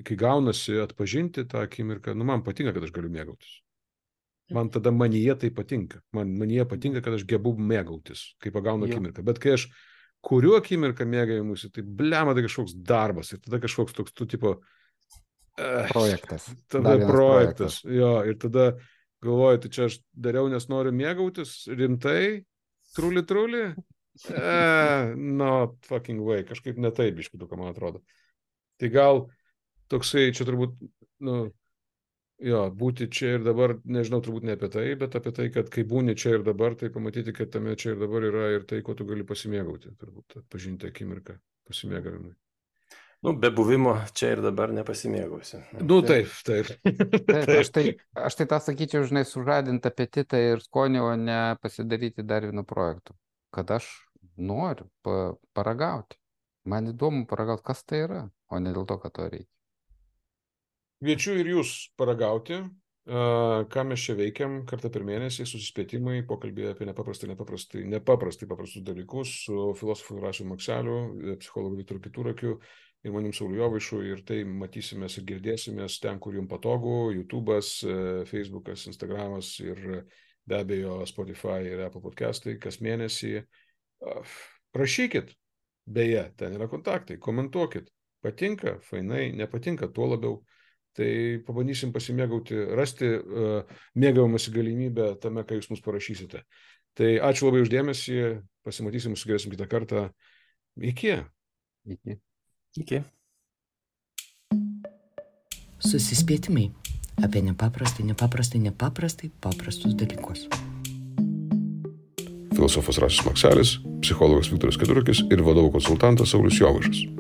kai gaunasi atpažinti tą akimirką, nu man patinka, kad aš galiu mėgautis. Man tada manyje tai patinka. Man manyje patinka, kad aš gebu mėgautis, kai pagaunu Jo. akimirką. Bet kai aš kuriu akimirką mėgavimusi, tai blema, tai kažkoks darbas ir tada kažkoks toks, tu tipo, Projektas. Tada Dar vienas projektas. projektas. Jo, ir tada galvoju, tai čia aš dariau, nes noriu mėgautis, rimtai, truli, truli. E, not fucking way, kažkaip ne taip, biškiu, ką man atrodo. Tai gal toksai, čia turbūt, nu, jo, būti čia ir dabar, nežinau, turbūt ne apie tai, bet apie tai, kad kai būni čia ir dabar, tai pamatyti, kad tame čia ir dabar yra ir tai, ko tu gali pasimėgauti, turbūt, atpažinti akimirką pasimėgavimui. Nu, be buvimo čia ir dabar nepasimėgausi. Nu, taip, taip. Taip, aš tai, aš tai tą sakyčiau, žinai, sužadinti apetitą ir skonį, o ne pasidaryti dar vienu projektu. Kad aš noriu pa, paragauti. Man įdomu paragauti, kas tai yra, o ne dėl to, kad to reikia. Kviečiu ir jūs paragauti, uh, ką mes čia veikiam kartą per mėnesį, susispėtimai, pokalbė apie nepaprastai, nepaprastai, nepaprastai paprastus dalykus su filosofu Rasiu Makseliu, psichologu Viktoru Keturakiu ir manim Sauliu Jovaišu, ir tai matysimės ir girdėsimės ten, kur jums patogu, YouTube'as, Facebook'as, Instagram'as ir be abejo Spotify ir Apple podcastai kas mėnesį. Prašykit, beje, ten yra kontaktai, komentuokit, patinka, fainai, nepatinka, tuo labiau. Tai pabandysim pasimėgauti, rasti uh, mėgavimąsi galimybę tame, ką jūs mums parašysite. Tai ačiū labai uždėmesį, pasimatysim, susigrėsim kitą kartą. Iki. Iki. Iki. Susispėtimai apie nepaprastai, nepaprastai, nepaprastai paprastus dalykus. Filosofas Rasius Makselis, psichologas Viktoras Keturakis ir vadovų konsultantas Saulius Jovaišas.